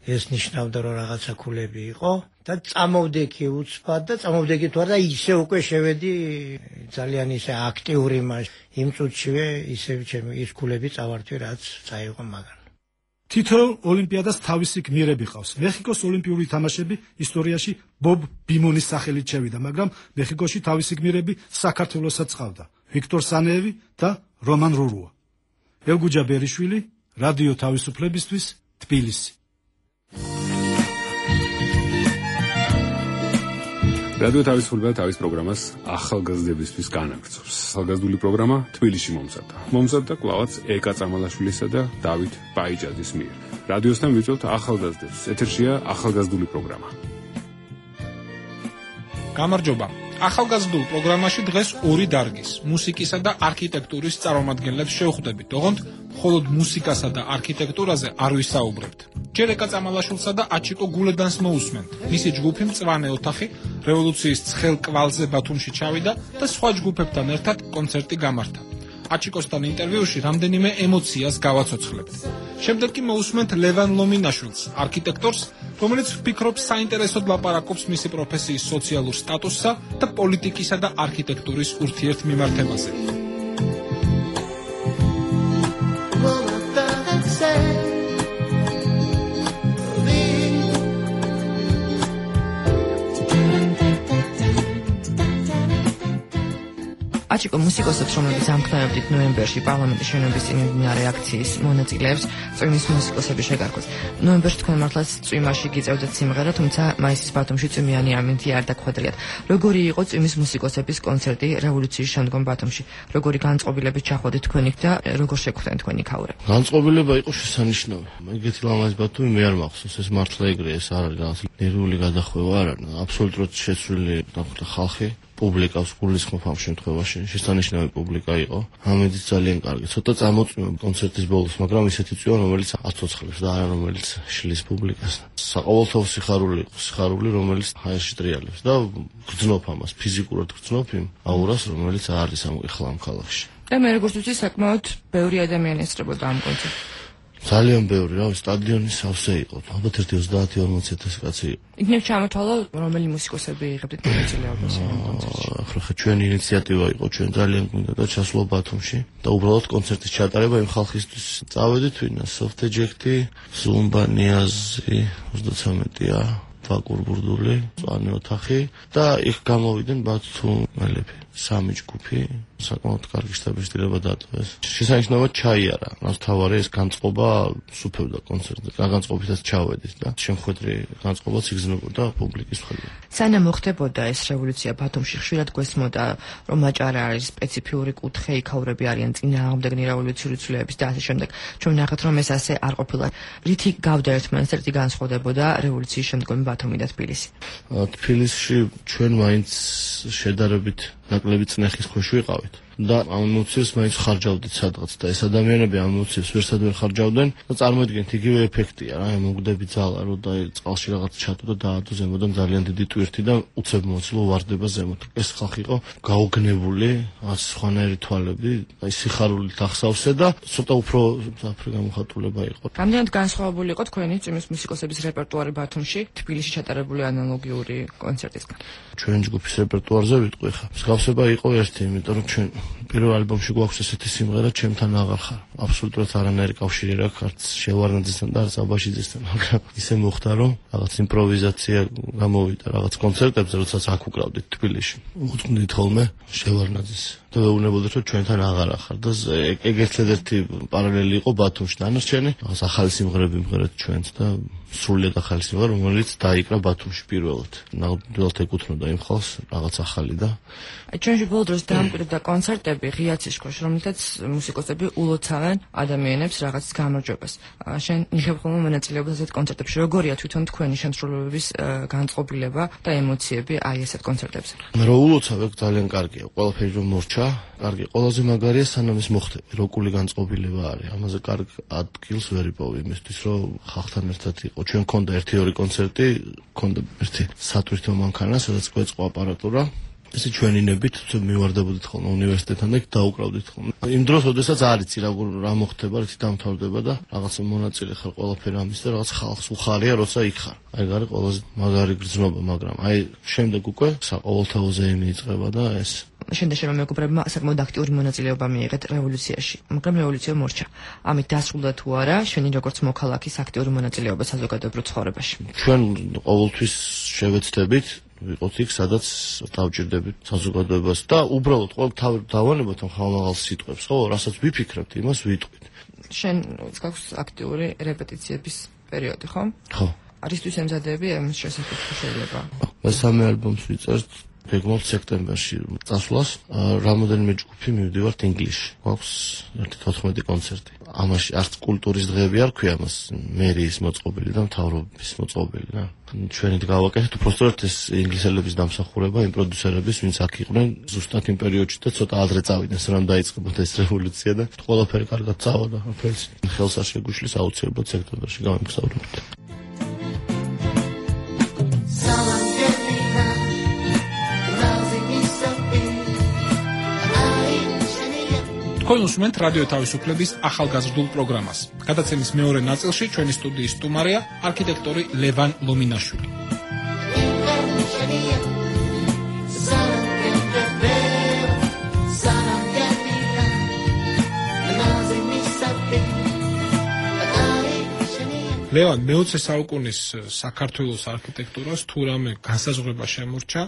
ეს ნიშნავდა, რომ რაღაცა ქულები იყო და წამოვდექი უცბად და წამოვდექი თუ არა ისე უკვე შევედი ძალიან ისე აქტიური მაშინ. იმ წუთშივე ისე ჩემი ის ქულები წავართვი, რაც წაიღო მაგან. თითოეულ ოლიმპიადას თავისი გმირები ყავს. მეხიკოს ოლიმპიური თამაშები ისტორიაში ბობ ბიმონის სახელით შევიდა, მაგრამ მეხიკოში თავისი გმირები საქართველოსაც ყავდა. ვიქტორ სანეევი და რომან რურუა. ელგუჯა ბერიშვილი, რადიო თავისუფლებისთვის, თბილისი. რადიო თავისუფლება თავის პროგრამას ახალგაზრდებისთვის განაგრძობს. ახალგაზრდული პროგრამა თბილისში მომზადდა კვლავაც ეკა წამალაშვილისა და დავით პაიჭაძის მიერ. რადიოსთან ვიწვევთ ახალგაზრდებს. ეთერშია ახალგაზრდული პროგრამა. გამარჯობა. ახალგაზრდულ პროგრამაში დღეს ორი დარგის, მუსიკისა და არქიტექტურის წარმომადგენლებს შევხვდებით. ოღონდ მხოლოდ მუსიკასა და არქიტექტურაზე არ ვისაუბრებთ. ჯერ ეკა წამალაშვილსა და აჩიკო გულედანს მოусმენთ. მისი ჯგუფი მწვანე ოთახი რევოლუციის ცხელ კვალზე ბათუმში ჩავიდა და სხვა ჯგუფებთან ერთად კონცერტი გამართა. აჩიკოსთან ინტერვიუში რამდენიმე ემოციას გავაცოცხლებთ. შემდეგ კი მოусმენთ ლევან ლომინაშვილს, არქიტექტორს, რომელიც ვფიქრობ საინტერესოდ ლაპარაკობს მისი პროფესიის სოციალურ სტატუსსა და პოლიტიკისა და არქიტექტურის ურთიერთმიმართებაზე. აჩიკო მუსიკოსებს, რომლებიც ამხნევებდით ნოემბერში პარლამენტის შენობის წინ მიმდინარე აქციის მონაწილეებს, წვიმის მუსიკოსები შეგარქვეს. ნოემბერში თქვენ მართლაც წვიმაში გიწევდეთ სიმღერა, თუმცა მაისის ბათუმში წვიმიანი ამინდი არ დაგხვედრიათ. როგორი იყო წვიმის მუსიკოსების კონცერტი რევოლუციის შემდგომ ბათუმში? როგორი განწყობილებით ჩახვედით თქვენ იქ და როგორ შეგვხვდნენ თქვენი ქაურები? განწყობილება იყო შესანიშნავი. ეგეთი ლამაზი ბათუმი მე არ მახსოვს, ეს მართლა ეგრეა, ეს არ არის რაღაც ნერვული გადახვევა არა, აბსოლუტურად შეცვლილი ხალხი. პუბლიკას გულისხმობ ამ შემთხვევაში შესანიშნავი პუბლიკა იყო. ამედიც ძალიან კარგი. ცოტა წამოწვივა კონცერტის ბოლოს, მაგრამ ისეთი წვივა, რომელიც აცოცხლებს და არა რომელიც შლის პუბლიკას. საყოველთაო სიხარული იყო, სიხარული, რომელიც ჰაერში ტრიალებს და გრძნობ ამას, ფიზიკურად გრძნობ იმ აურას, რომელიც არის ახლა ამ ქალაქში. და მე როგორც ვიცი, საკმაოდ ბევრი ადამიანი ესწრებოდა ამ კონცერტს. ძალიან ბევრი, რა, სტადიონი სავსე იყო. ალბათ 30-40,000 კაცი იყო. იქნებ ჩამოთვალო, რომელი მუსიკოსები იღებდით მონაწილეობას ამ კონცერტში. ახლა ჩვენი ინიციატივა იყო, ჩვენ ძალიან გვინდა და ჩასვლა ბათუმში და უბრალოდ კონცერტის ჩატარება იმ ხალხისთვის წავედით ვინა სოფთეჯექტი, ზუმბა ნიაზი 33-ია, ბაკურ ბურდული, მწვანე ოთახი და იქ გამოვიდნენ ბათუმელები. სამი ჯგუფი საკმაოდ კარგი შტაბისtildeება დატოვეს. შესანიშნავად ჩაიარა. მას თავარი ეს განწყობა სუფევდა კონცერტზე. განწყობითაც ჩავედით და შემხვედრი განწყობაც იგრძნობოდა პუბლიკის მხრიდან. სანამ მოხდებოდა ეს რევოლუცია ბათუმში, ხშირად გვესმოდა, რომ აჭარა არის სპეციფიური კუთხე, იქაურები არიან წინააღმდეგნი რევოლუციური ცვლილებების და ასე შემდეგ. ჩვენ ნახეთ, რომ ეს ასე არ ყოფილა. რითი გავდა ერთმანეთს, რითი განსხვავდებოდა რევოლუციის შემდგომი ბათუმი და თბილისი? თბილისში ჩვენ მაინც შედარებით ნაკლები წნეხის ქვეშ ვიყავით და ამ ემოციებს მაინც ხარჯავდით სადღაც და ეს ადამიანები ამ ემოციებს ვერსად ვერ ხარჯავდნენ და წარმოიდგინეთ იგივე ეფექტია რა, მოგდები ძალა რომ და წყალში რაღაც ჩატო და დაადო ზემოდან ძალიან დიდი ტვირთი და უცებ მოწლო ვარდება ზემოთ. ეს ხალხი იყო გაუგნებული, სხვანაირი თვალები, აი სიხარულით ახსავსე და ცოტა უფრო საფრე გამოხატულება იყო. რამდენად განსხვავებული იყო თქვენი წვიმის მუსიკოსების რეპერტუარი ბათუმში თბილისში ჩატარებული ანალოგიური კონცერტისგან? ჩვენ ჯგუფის რეპერტუარზე ვიტყვი ხა. მსგავსება იყო ერთი, იმიტომ რომ ჩვენ პირველ ალბომში გვაქვს ესეთი სიმღერა ჩემთან აღარ ხარ. აბსოლუტურად არანაირი კავშირი არ აქვს არც შევარნაძესთან და არც აბაშიძესთან, მაგრამ ისე მოხდა რომ რაღაც იმპროვიზაცია გამოვიდა რაღაც კონცერტებზე, როდესაც აქ უკრავდით თბილისში. უძღვნით ხოლმე შევარნაძეს და ვეუბნებოდით რომ ჩვენთან აღარ ახარ და ეგ ერთ-ერთი პარალელი იყო ბათუმში. დანარჩენი რაღაც ახალი სიმღერები მღერეთ ჩვენც და სრულიად ახალი სიმღერა, რომელიც დაიკრა ბათუმში პირველად. ნამდვილად ეკუთვნოდა იმ ხალხს რაღაც ახალი და ჩვენში ბოლო დროს დაამკვიდრდა კონცერტები ღია ცისკოში, რომლითაც მუსიკოსები ულოცავენ ადამიანებს რაღაც გამარჯვებას. შენ იღებ ხოლმე მონაწილეობას ასეთ კონცერტებში. როგორია თვითონ თქვენი შემსრულებლების განწყობილება და ემოციები აი ესეთ კონცერტებზე? რო ულოცავ ეგ ძალიან კარგია. ყველაფერი რომ მორჩა, კარგი. ყველაზე მაგარია სანამ ის მოხდება. როკული განწყობილება არის. ამაზე კარგ ადგილს ვერ იპოვი იმისთვის, რომ ხალხთან ერთად იყო. ჩვენ გქონდა 1-2 კონცერტი, გქონდა ერთი სატვირთო მანქანა, სადაც გვეწყო აპარატურა. ესე ჩვენინებით მივარდებოდით ხოლმე უნივერსიტეტთან და დაუკრავდით ხოლმე. იმ დროს, როდესაც არ იცი რა მოხდება, რითი დამთავრდება და რაღაც მონაწილე ხარ ყველაფერი ამის და რაღაც ხალხს უხარია, როცა იქ ხარ. აი გარი ყველაზე მაგარი გრძნობა, მაგრამ აი შემდეგ უკვე საყოველთაოზე მიიწება და ეს შენდა მეგობრებმა საკმაოდ აქტიური მონაწილეობა მიიღეთ რევოლუციაში, მაგრამ რევოლუცია მორჩა. ამით დასრულდა თუ არა შენი როგორც მოქალაქის აქტიური მონაწილეობა საზოგადოებრივ ცხოვრებაში? ჩვენ ყოველთვის შევეცდებით ვიყოთ იქ, სადაც დავჭირდებით საზოგადოებას და უბრალოდ ყოველ დავანებოთ ხალხალ სიტყვებს, ხო, რასაც ვიფიქრებთ, იმას ვიტყვით. შენ გაქვს აქტიური რეპეტიციების პერიოდი, ხო? ხო. არისთვის ემზადები ამის შესახებ შეიძლება? მესამე ალბომს ვიწერთ გეგმავთ სექტემბერში წასვლას. რამოდენიმე ჯგუფი მივდივართ ინგლისში. გვაქვს 14 კონცერტი. ამაში არც კულტურის დღეები არ ქვია მას, მერიის მოწყობილი და მთავრობის მოწყობილი და ჩვენით გავაკეთეთ უბრალოდ ეს ინგლისელების დამსახურება, იმ პროდიუსერების, ვინც აქ იყვნენ ზუსტად იმ პერიოდში და ცოტა ადრე წავიდნენ, სანამ დაიწყებოდა ეს რევოლუცია და ყველაფერი კარგად წავიდა. ყველს ხელს არ შეგვიშლის აუცილებლად სექტემბერში გამიგზავნებთ. თქვენ უსმენთ რადიო თავისუფლების ახალგაზრდულ პროგრამას. გადაცემის მეორე ნაწილში ჩვენი სტუდიის სტუმარია არქიტექტორი ლევან ლომინაშვილი. ლევან, მე-20 საუკუნის საქართველოს არქიტექტურას თუ რამე განსაზღვრება შემორჩა,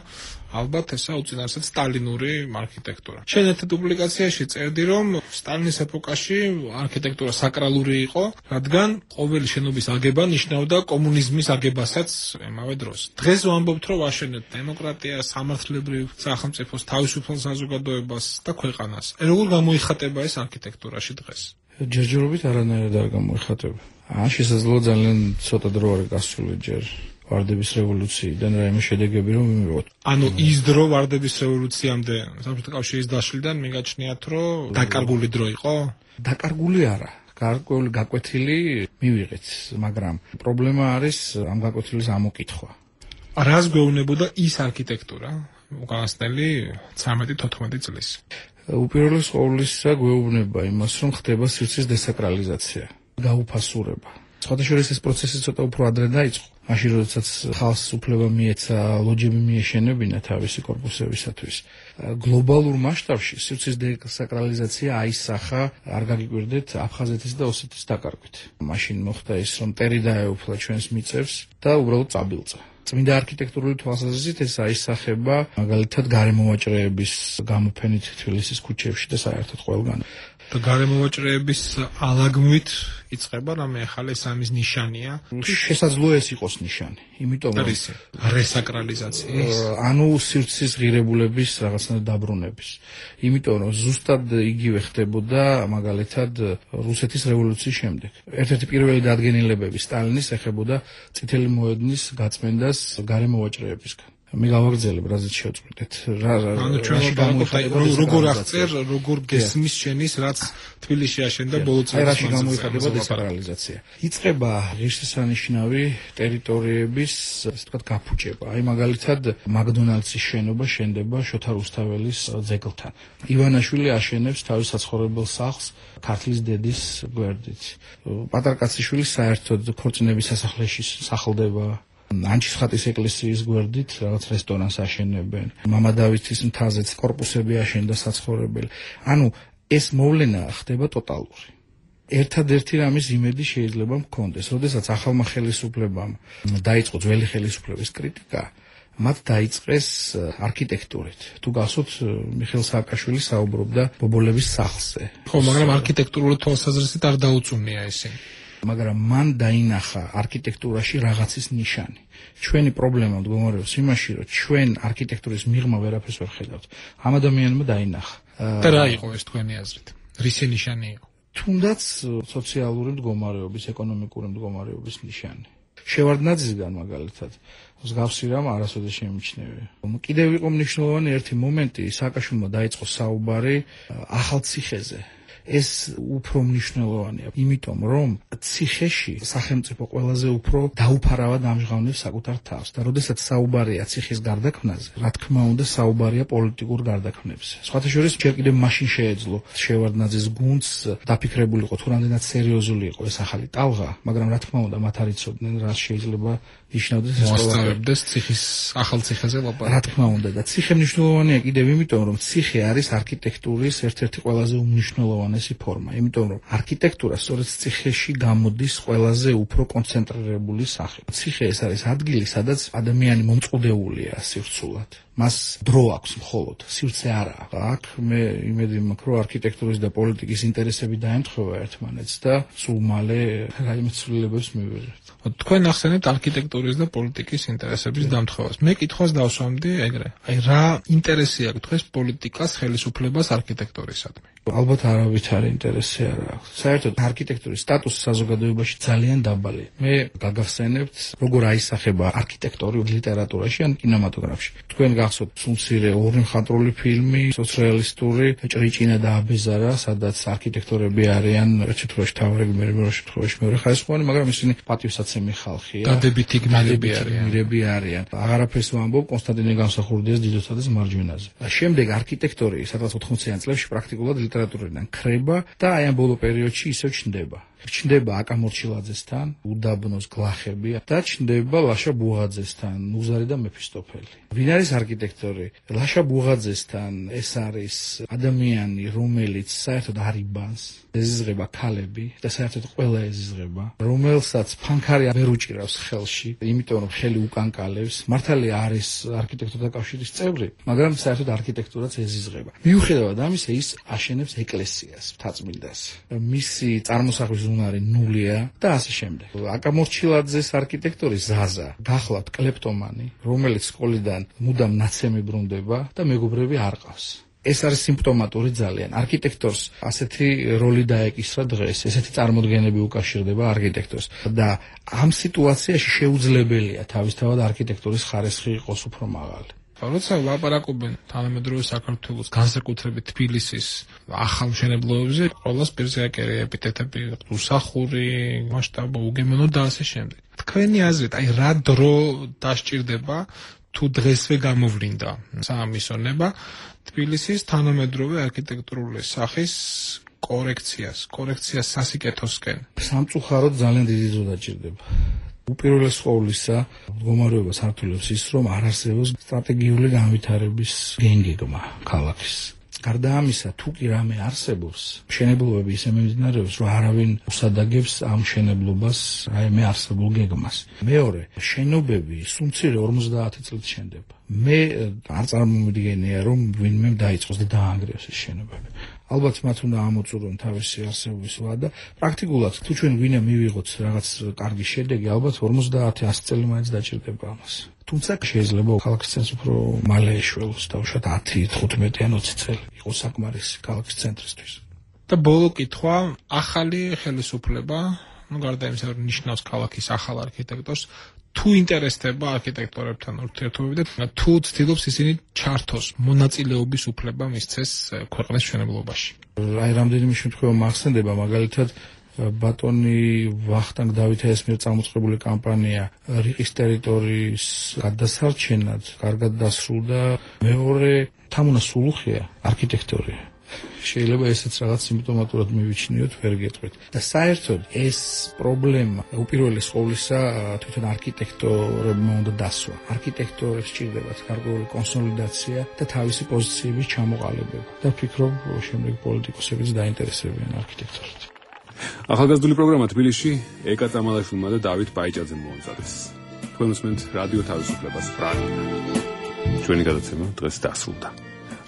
ალბათ ესა უწინარესად სტალინური არქიტექტურა. შენ ერთ პუბლიკაციაში წერდი, რომ სტალინის ეპოქაში არქიტექტურა საკრალური იყო, რადგან ყოველი შენობის აგება ნიშნავდა კომუნიზმის აგებასაც ემავე დროს. დღეს ვამბობთ, რომ ვაშენებთ დემოკრატიას, სამართლებრივ სახელმწიფოს, თავისუფალ საზოგადოებას და ქვეყანას. როგორ გამოიხატება ეს არქიტექტურაში დღეს? ჯერჯერობით არანაირად არ გამოიხატება. შესაძლოა ძალიან ცოტა დრო არის გასული ჯერ ვარდების რევოლუციიდან რაიმე შედეგები რომ მივიღოთ. ანუ ის დრო ვარდების რევოლუციამდე საბჭოთა კავშირის დაშლიდან მიგაჩნიათ, რომ დაკარგული დრო იყო? დაკარგული არა. გარკვეული გაკვეთილი მივიღეთ, მაგრამ პრობლემა არის ამ გაკვეთილის ამოკითხვა. რას გვეუბნებოდა ის არქიტექტურა უკანასკნელი 13-14 წლის? უპირველეს ყოვლისა გვეუბნება იმას, რომ ხდება სივრცის დესაკრალიზაცია, გაუფასურება. სხვადასხვა ეს პროცესი ცოტა უფრო ადრე დაიწყო. მაშინ როდესაც ხალხს უფლება მიეცა ლოჯები მიეშენებინა თავისი კორპუსებისათვის. გლობალურ მასშტაბში სივრცის დესაკრალიზაცია აისახა, არ გაგიკვირდეთ, აფხაზეთის და ოსეთის დაკარგვით. მაშინ მოხდა ის, რომ ტერი დაეუფლა ჩვენს მიწებს და უბრალოდ წაბილწა. წმინდა არქიტექტურული თვალსაზრისით ეს აისახება მაგალითად გარემოვაჭრეების გამოფენით თბილისის ქუჩებში და საერთოდ ყველგან. და გარემოვაჭრეების ალაგმით იწყება რამე ახალი სამის ნიშანია. შესაძლოა ეს იყოს ნიშანი, იმიტომ რომ რესაკრალიზაციის, ანუ სივრცის ღირებულების რაღაცნაირად დაბრუნების. იმიტომ რომ ზუსტად იგივე ხდებოდა მაგალითად რუსეთის რევოლუციის შემდეგ. ერთ-ერთი პირველი დადგენილებები სტალინის ეხებოდა წითელი მოედნის გაწმენდას გარემოვაჭრეებისგან. მე გავაგრძელებ, რაზეც შევწყვეტეთ. ანუ ჩვენ როგორ აღწერ, როგორ გესმის შენის, რაც თბილისში აშენდა ბოლო წლებში. აი რაში გამოიხატება დესაკრალიზაცია. იწყება ღირსშესანიშნავი ტერიტორიების, ასე ვთქვათ, გაფუჭება. აი მაგალითად მაკდონალდსის შენობა შენდება შოთა რუსთაველის ძეგლთან. ივანაშვილი აშენებს თავის საცხოვრებელ სახლს ქართლის დედის გვერდით. პატარ კაციშვილი საერთოდ ქორწინების სასახლეში სახლდება. ანჩისხატის ეკლესიის გვერდით რაღაც რესტორანს აშენებენ. მამადავითის მთაზეც კორპუსები აშენდა საცხოვრებელი. ანუ ეს მოვლენა ხდება ტოტალური. ერთადერთი რამის იმედი შეიძლება მქონდეს, როდესაც ახალმა ხელისუფლებამ დაიწყო ძველი ხელისუფლების კრიტიკა, მათ დაიწყეს არქიტექტურით. თუ გახსოვთ, მიხეილ სააკაშვილი საუბრობდა ბობოლების სახლზე. ხო, მაგრამ არქიტექტურული თვალსაზრისით არ დაუწუნია ისინი. მაგრამ მან დაინახა არქიტექტურაში რაღაცის ნიშანი. ჩვენი პრობლემა მდგომარეობს იმაში, რომ ჩვენ არქიტექტურის მიღმა ვერაფერს ვერ ხედავთ. ამ ადამიანმა დაინახა. და რა იყო ეს თქვენი აზრით? რისი ნიშანი იყო? თუნდაც სოციალური მდგომარეობის, ეკონომიკური მდგომარეობის ნიშანი. შევარდნაძისგან მაგალითად მსგავსი რამ არასოდეს შემიჩნევია. კიდევ იყო მნიშვნელოვანი ერთი მომენტი, სააკაშვილმა დაიწყო საუბარი ახალციხეზე. ეს უფრო მნიშვნელოვანია, იმიტომ რომ ციხეში სახელმწიფო ყველაზე უფრო დაუფარავად ამჟღავნებს საკუთარ თავს და როდესაც საუბარია ციხის გარდაქმნაზე, რა თქმა უნდა საუბარია პოლიტიკურ გარდაქმნებზე. სხვათა შორის ჯერ კიდევ მაშინ შეეძლო შევარდნაძის გუნდს დაფიქრებულიყო თუ რამდენად სერიოზული იყო ეს ახალი ტალღა, მაგრამ რა თქმა უნდა მათ არ იცოდნენ რა შეიძლება ნიშნავდეს ეს მოსწავლეებს ციხის ახალ ციხეზე ლაპარაკი. რა თქმა უნდა და ციხე მნიშვნელოვანია კიდევ იმიტომ რომ ციხე არის არქიტექტურის ერთ-ერთი ყველაზე უმნიშვნელოვანესი ფორმა, იმიტომ რომ არქიტექტურა სწორედ ციხეში გამოდის ყველაზე უფრო კონცენტრირებული სახე. ციხე ეს არის ადგილი, სადაც ადამიანი მომწყდეულია სივრცულად. მას დრო აქვს მხოლოდ, სივრცე არა აქვს. აქ მე იმედი მაქვს, რომ არქიტექტურის და პოლიტიკის ინტერესები დაემთხვევა ერთმანეთს და სულ მალე რაიმე ცვლილებებს მივიღებთ. თქვენ ახსენებთ არქიტექტურის და პოლიტიკის ინტერესების დამთხოვას. მე კითხვას დავსვამდი ეგრე. აი რა ინტერესი აქვს თქვენს პოლიტიკას, ხელისუფლებას არქიტექტურისადმი? ალბათ არავითარი ინტერესი არ აქვს. საერთოდ არქიტექტურის სტატუსი საზოგადოებაში ძალიან დაბალია. მე გაგახსენებთ, როგორ აისახება არქიტექტორი ლიტერატურაში ან კინემატოგრაფში. თქვენ გახსოვთ სულმცირე ორი მხატვრული ფილმი, სოციალისტური ჭრიჭინა და აბეზარა, სადაც არქიტექტორები არიან ერთ შემთხვევაში თავრები, მეორე შემთხვევაში მეორე ხარისხოვანი, მაგრამ ისინი პატივსაცემი ხალხია. დადებითი გმირები არიან. აღარაფერს ვამბობ კონსტანტინე გამსახურდიას დიდოსა და მარჯვენაზე. შემდეგ არქიტექტორი სადღაც 80-იან წლებში პრაქტიკულად ლიტერატურიდან ქრება და აი ამ ბოლო პერიოდში ისევ ჩნდება. ჩნდება აკა მორჩილაძესთან, უდაბნოს გლახები და ჩნდება ლაშა ბუღაძესთან, ნუზარი და მეფისტოფელი. ვინ არის არქიტექტორი? ლაშა ბუღაძესთან ეს არის ადამიანი, რომელიც საერთოდ არ იბანს, ეზიზღება ქალები და საერთოდ ყველა ეზიზღება, რომელსაც ფანქარი ვერ უჭირავს ხელში, იმიტომ რომ ხელი უკანკალებს. მართალია არის არქიტექტორთა კავშირის წევრი, მაგრამ საერთოდ არქიტექტურაც ეზიზღება. მიუხედავად ამისა, ის აშენებს ეკლესიას, მთაწმინდას. მისი წარმოსახვის უნარი ნულია და ასე შემდეგ. აკა მორჩილაძეს არქიტექტორი ზაზა, გახლავთ კლეპტომანი, რომელიც სკოლიდან მუდამ ნაცემი ბრუნდება და მეგობრები არ ყავს. ეს არის სიმპტომატური ძალიან. არქიტექტორს ასეთი როლი დაეკისრა დღეს, ესეთი წარმოდგენები უკავშირდება არქიტექტორს და ამ სიტუაციაში შეუძლებელია თავისთავად არქიტექტურის ხარისხი იყოს უფრო მაღალი. როცა ლაპარაკობენ თანამედროვე საქართველოს, განსაკუთრებით თბილისის ახალ მშენებლობებზე, ყველას პირზე აკერია ეპითეტები, უსახური, მასშტაბო, უგემოვნო და ასე შემდეგ. თქვენი აზრით, აი რა დრო დასჭირდება თუ დღესვე გამოვლინდა საამისონება თბილისის თანამედროვე არქიტექტურული სახის კორექციას სასიკეთოსკენ? სამწუხაროდ ძალიან დიდი დრო დაჭირდება. უპირველეს ყოვლისა, მდგომარეობა სართულებს ის, რომ არ არსებობს სტრატეგიული განვითარების გენგეგმა ქალაქის. გარდა ამისა, თუ კი რამე არსებობს, მშენებლობები ისე მიმდინარეობს, რომ არავინ უსადაგებს ამ მშენებლობას რაიმე არსებულ გეგმას. მეორე, შენობები სულმცირე 50 წლით შენდება. მე არ წარმომიდგენია, რომ ვინმე დაიწყოს და დაანგრევს ეს შენობები. ალბათ მათ უნდა ამოწურონ თავისი არსებობის ვადა. პრაქტიკულად, თუ ჩვენ ვინმე მივიღოთ რაღაც კარგი შედეგი, ალბათ 50-100 წელი მაინც დაჭირდება ამას. თუმცა შეიძლება ქალაქის ცენტრს უფრო მალე ეშველოს და უშუალოდ 10, 15 ან 20 წელი იყოს საკმარისი ქალაქის ცენტრისთვის. და ბოლო კითხვა, ახალი ხელისუფლება, გარდა იმისა, რომ ნიშნავს ქალაქის ახალ არქიტექტორს, თუ ინტერესდება არქიტექტორებთან ურთიერთობები და თუ ცდილობს ისინი ჩართოს მონაწილეობის უფლება მისცეს ქვეყნის მშენებლობაში. აი რამდენიმე შემთხვევა მახსენდება, მაგალითად ბატონი ვახტანგ დავითაიას მიერ წამოწყებული კამპანია რიყის ტერიტორიის გადასარჩენად კარგად დასრულდა. მეორე თამუნა სულუხია არქიტექტორია. შეიძლება ესეც რაღაც სიმპტომატურად მივიჩნიოთ, ვერ გეტყვით. და საერთოდ ეს პრობლემა უპირველეს ყოვლისა თვითონ არქიტექტორებმა უნდა დასვა. არქიტექტორებს სჭირდებათ გარკვეული კონსოლიდაცია და თავისი პოზიციების ჩამოყალიბება. და ვფიქრობ, შემდეგ პოლიტიკოსებიც დაინტერესებიან არქიტექტორით. ახალგაზრდული პროგრამა თბილისში ეკა წამალაშვილმა და დავით ბაიჭაძემ მოამზადეს. თქვენ უსმენთ რადიო თავისუფლებას პრაღიდან. ჩვენი გადაცემა დღეს დასრულდა.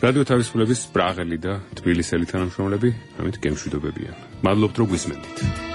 რადიო თავისუფლების პრაღელი და თბილისელი თანამშრომლები ამით გემშვიდობებიან. მადლობთ, რომ გვისმენთ.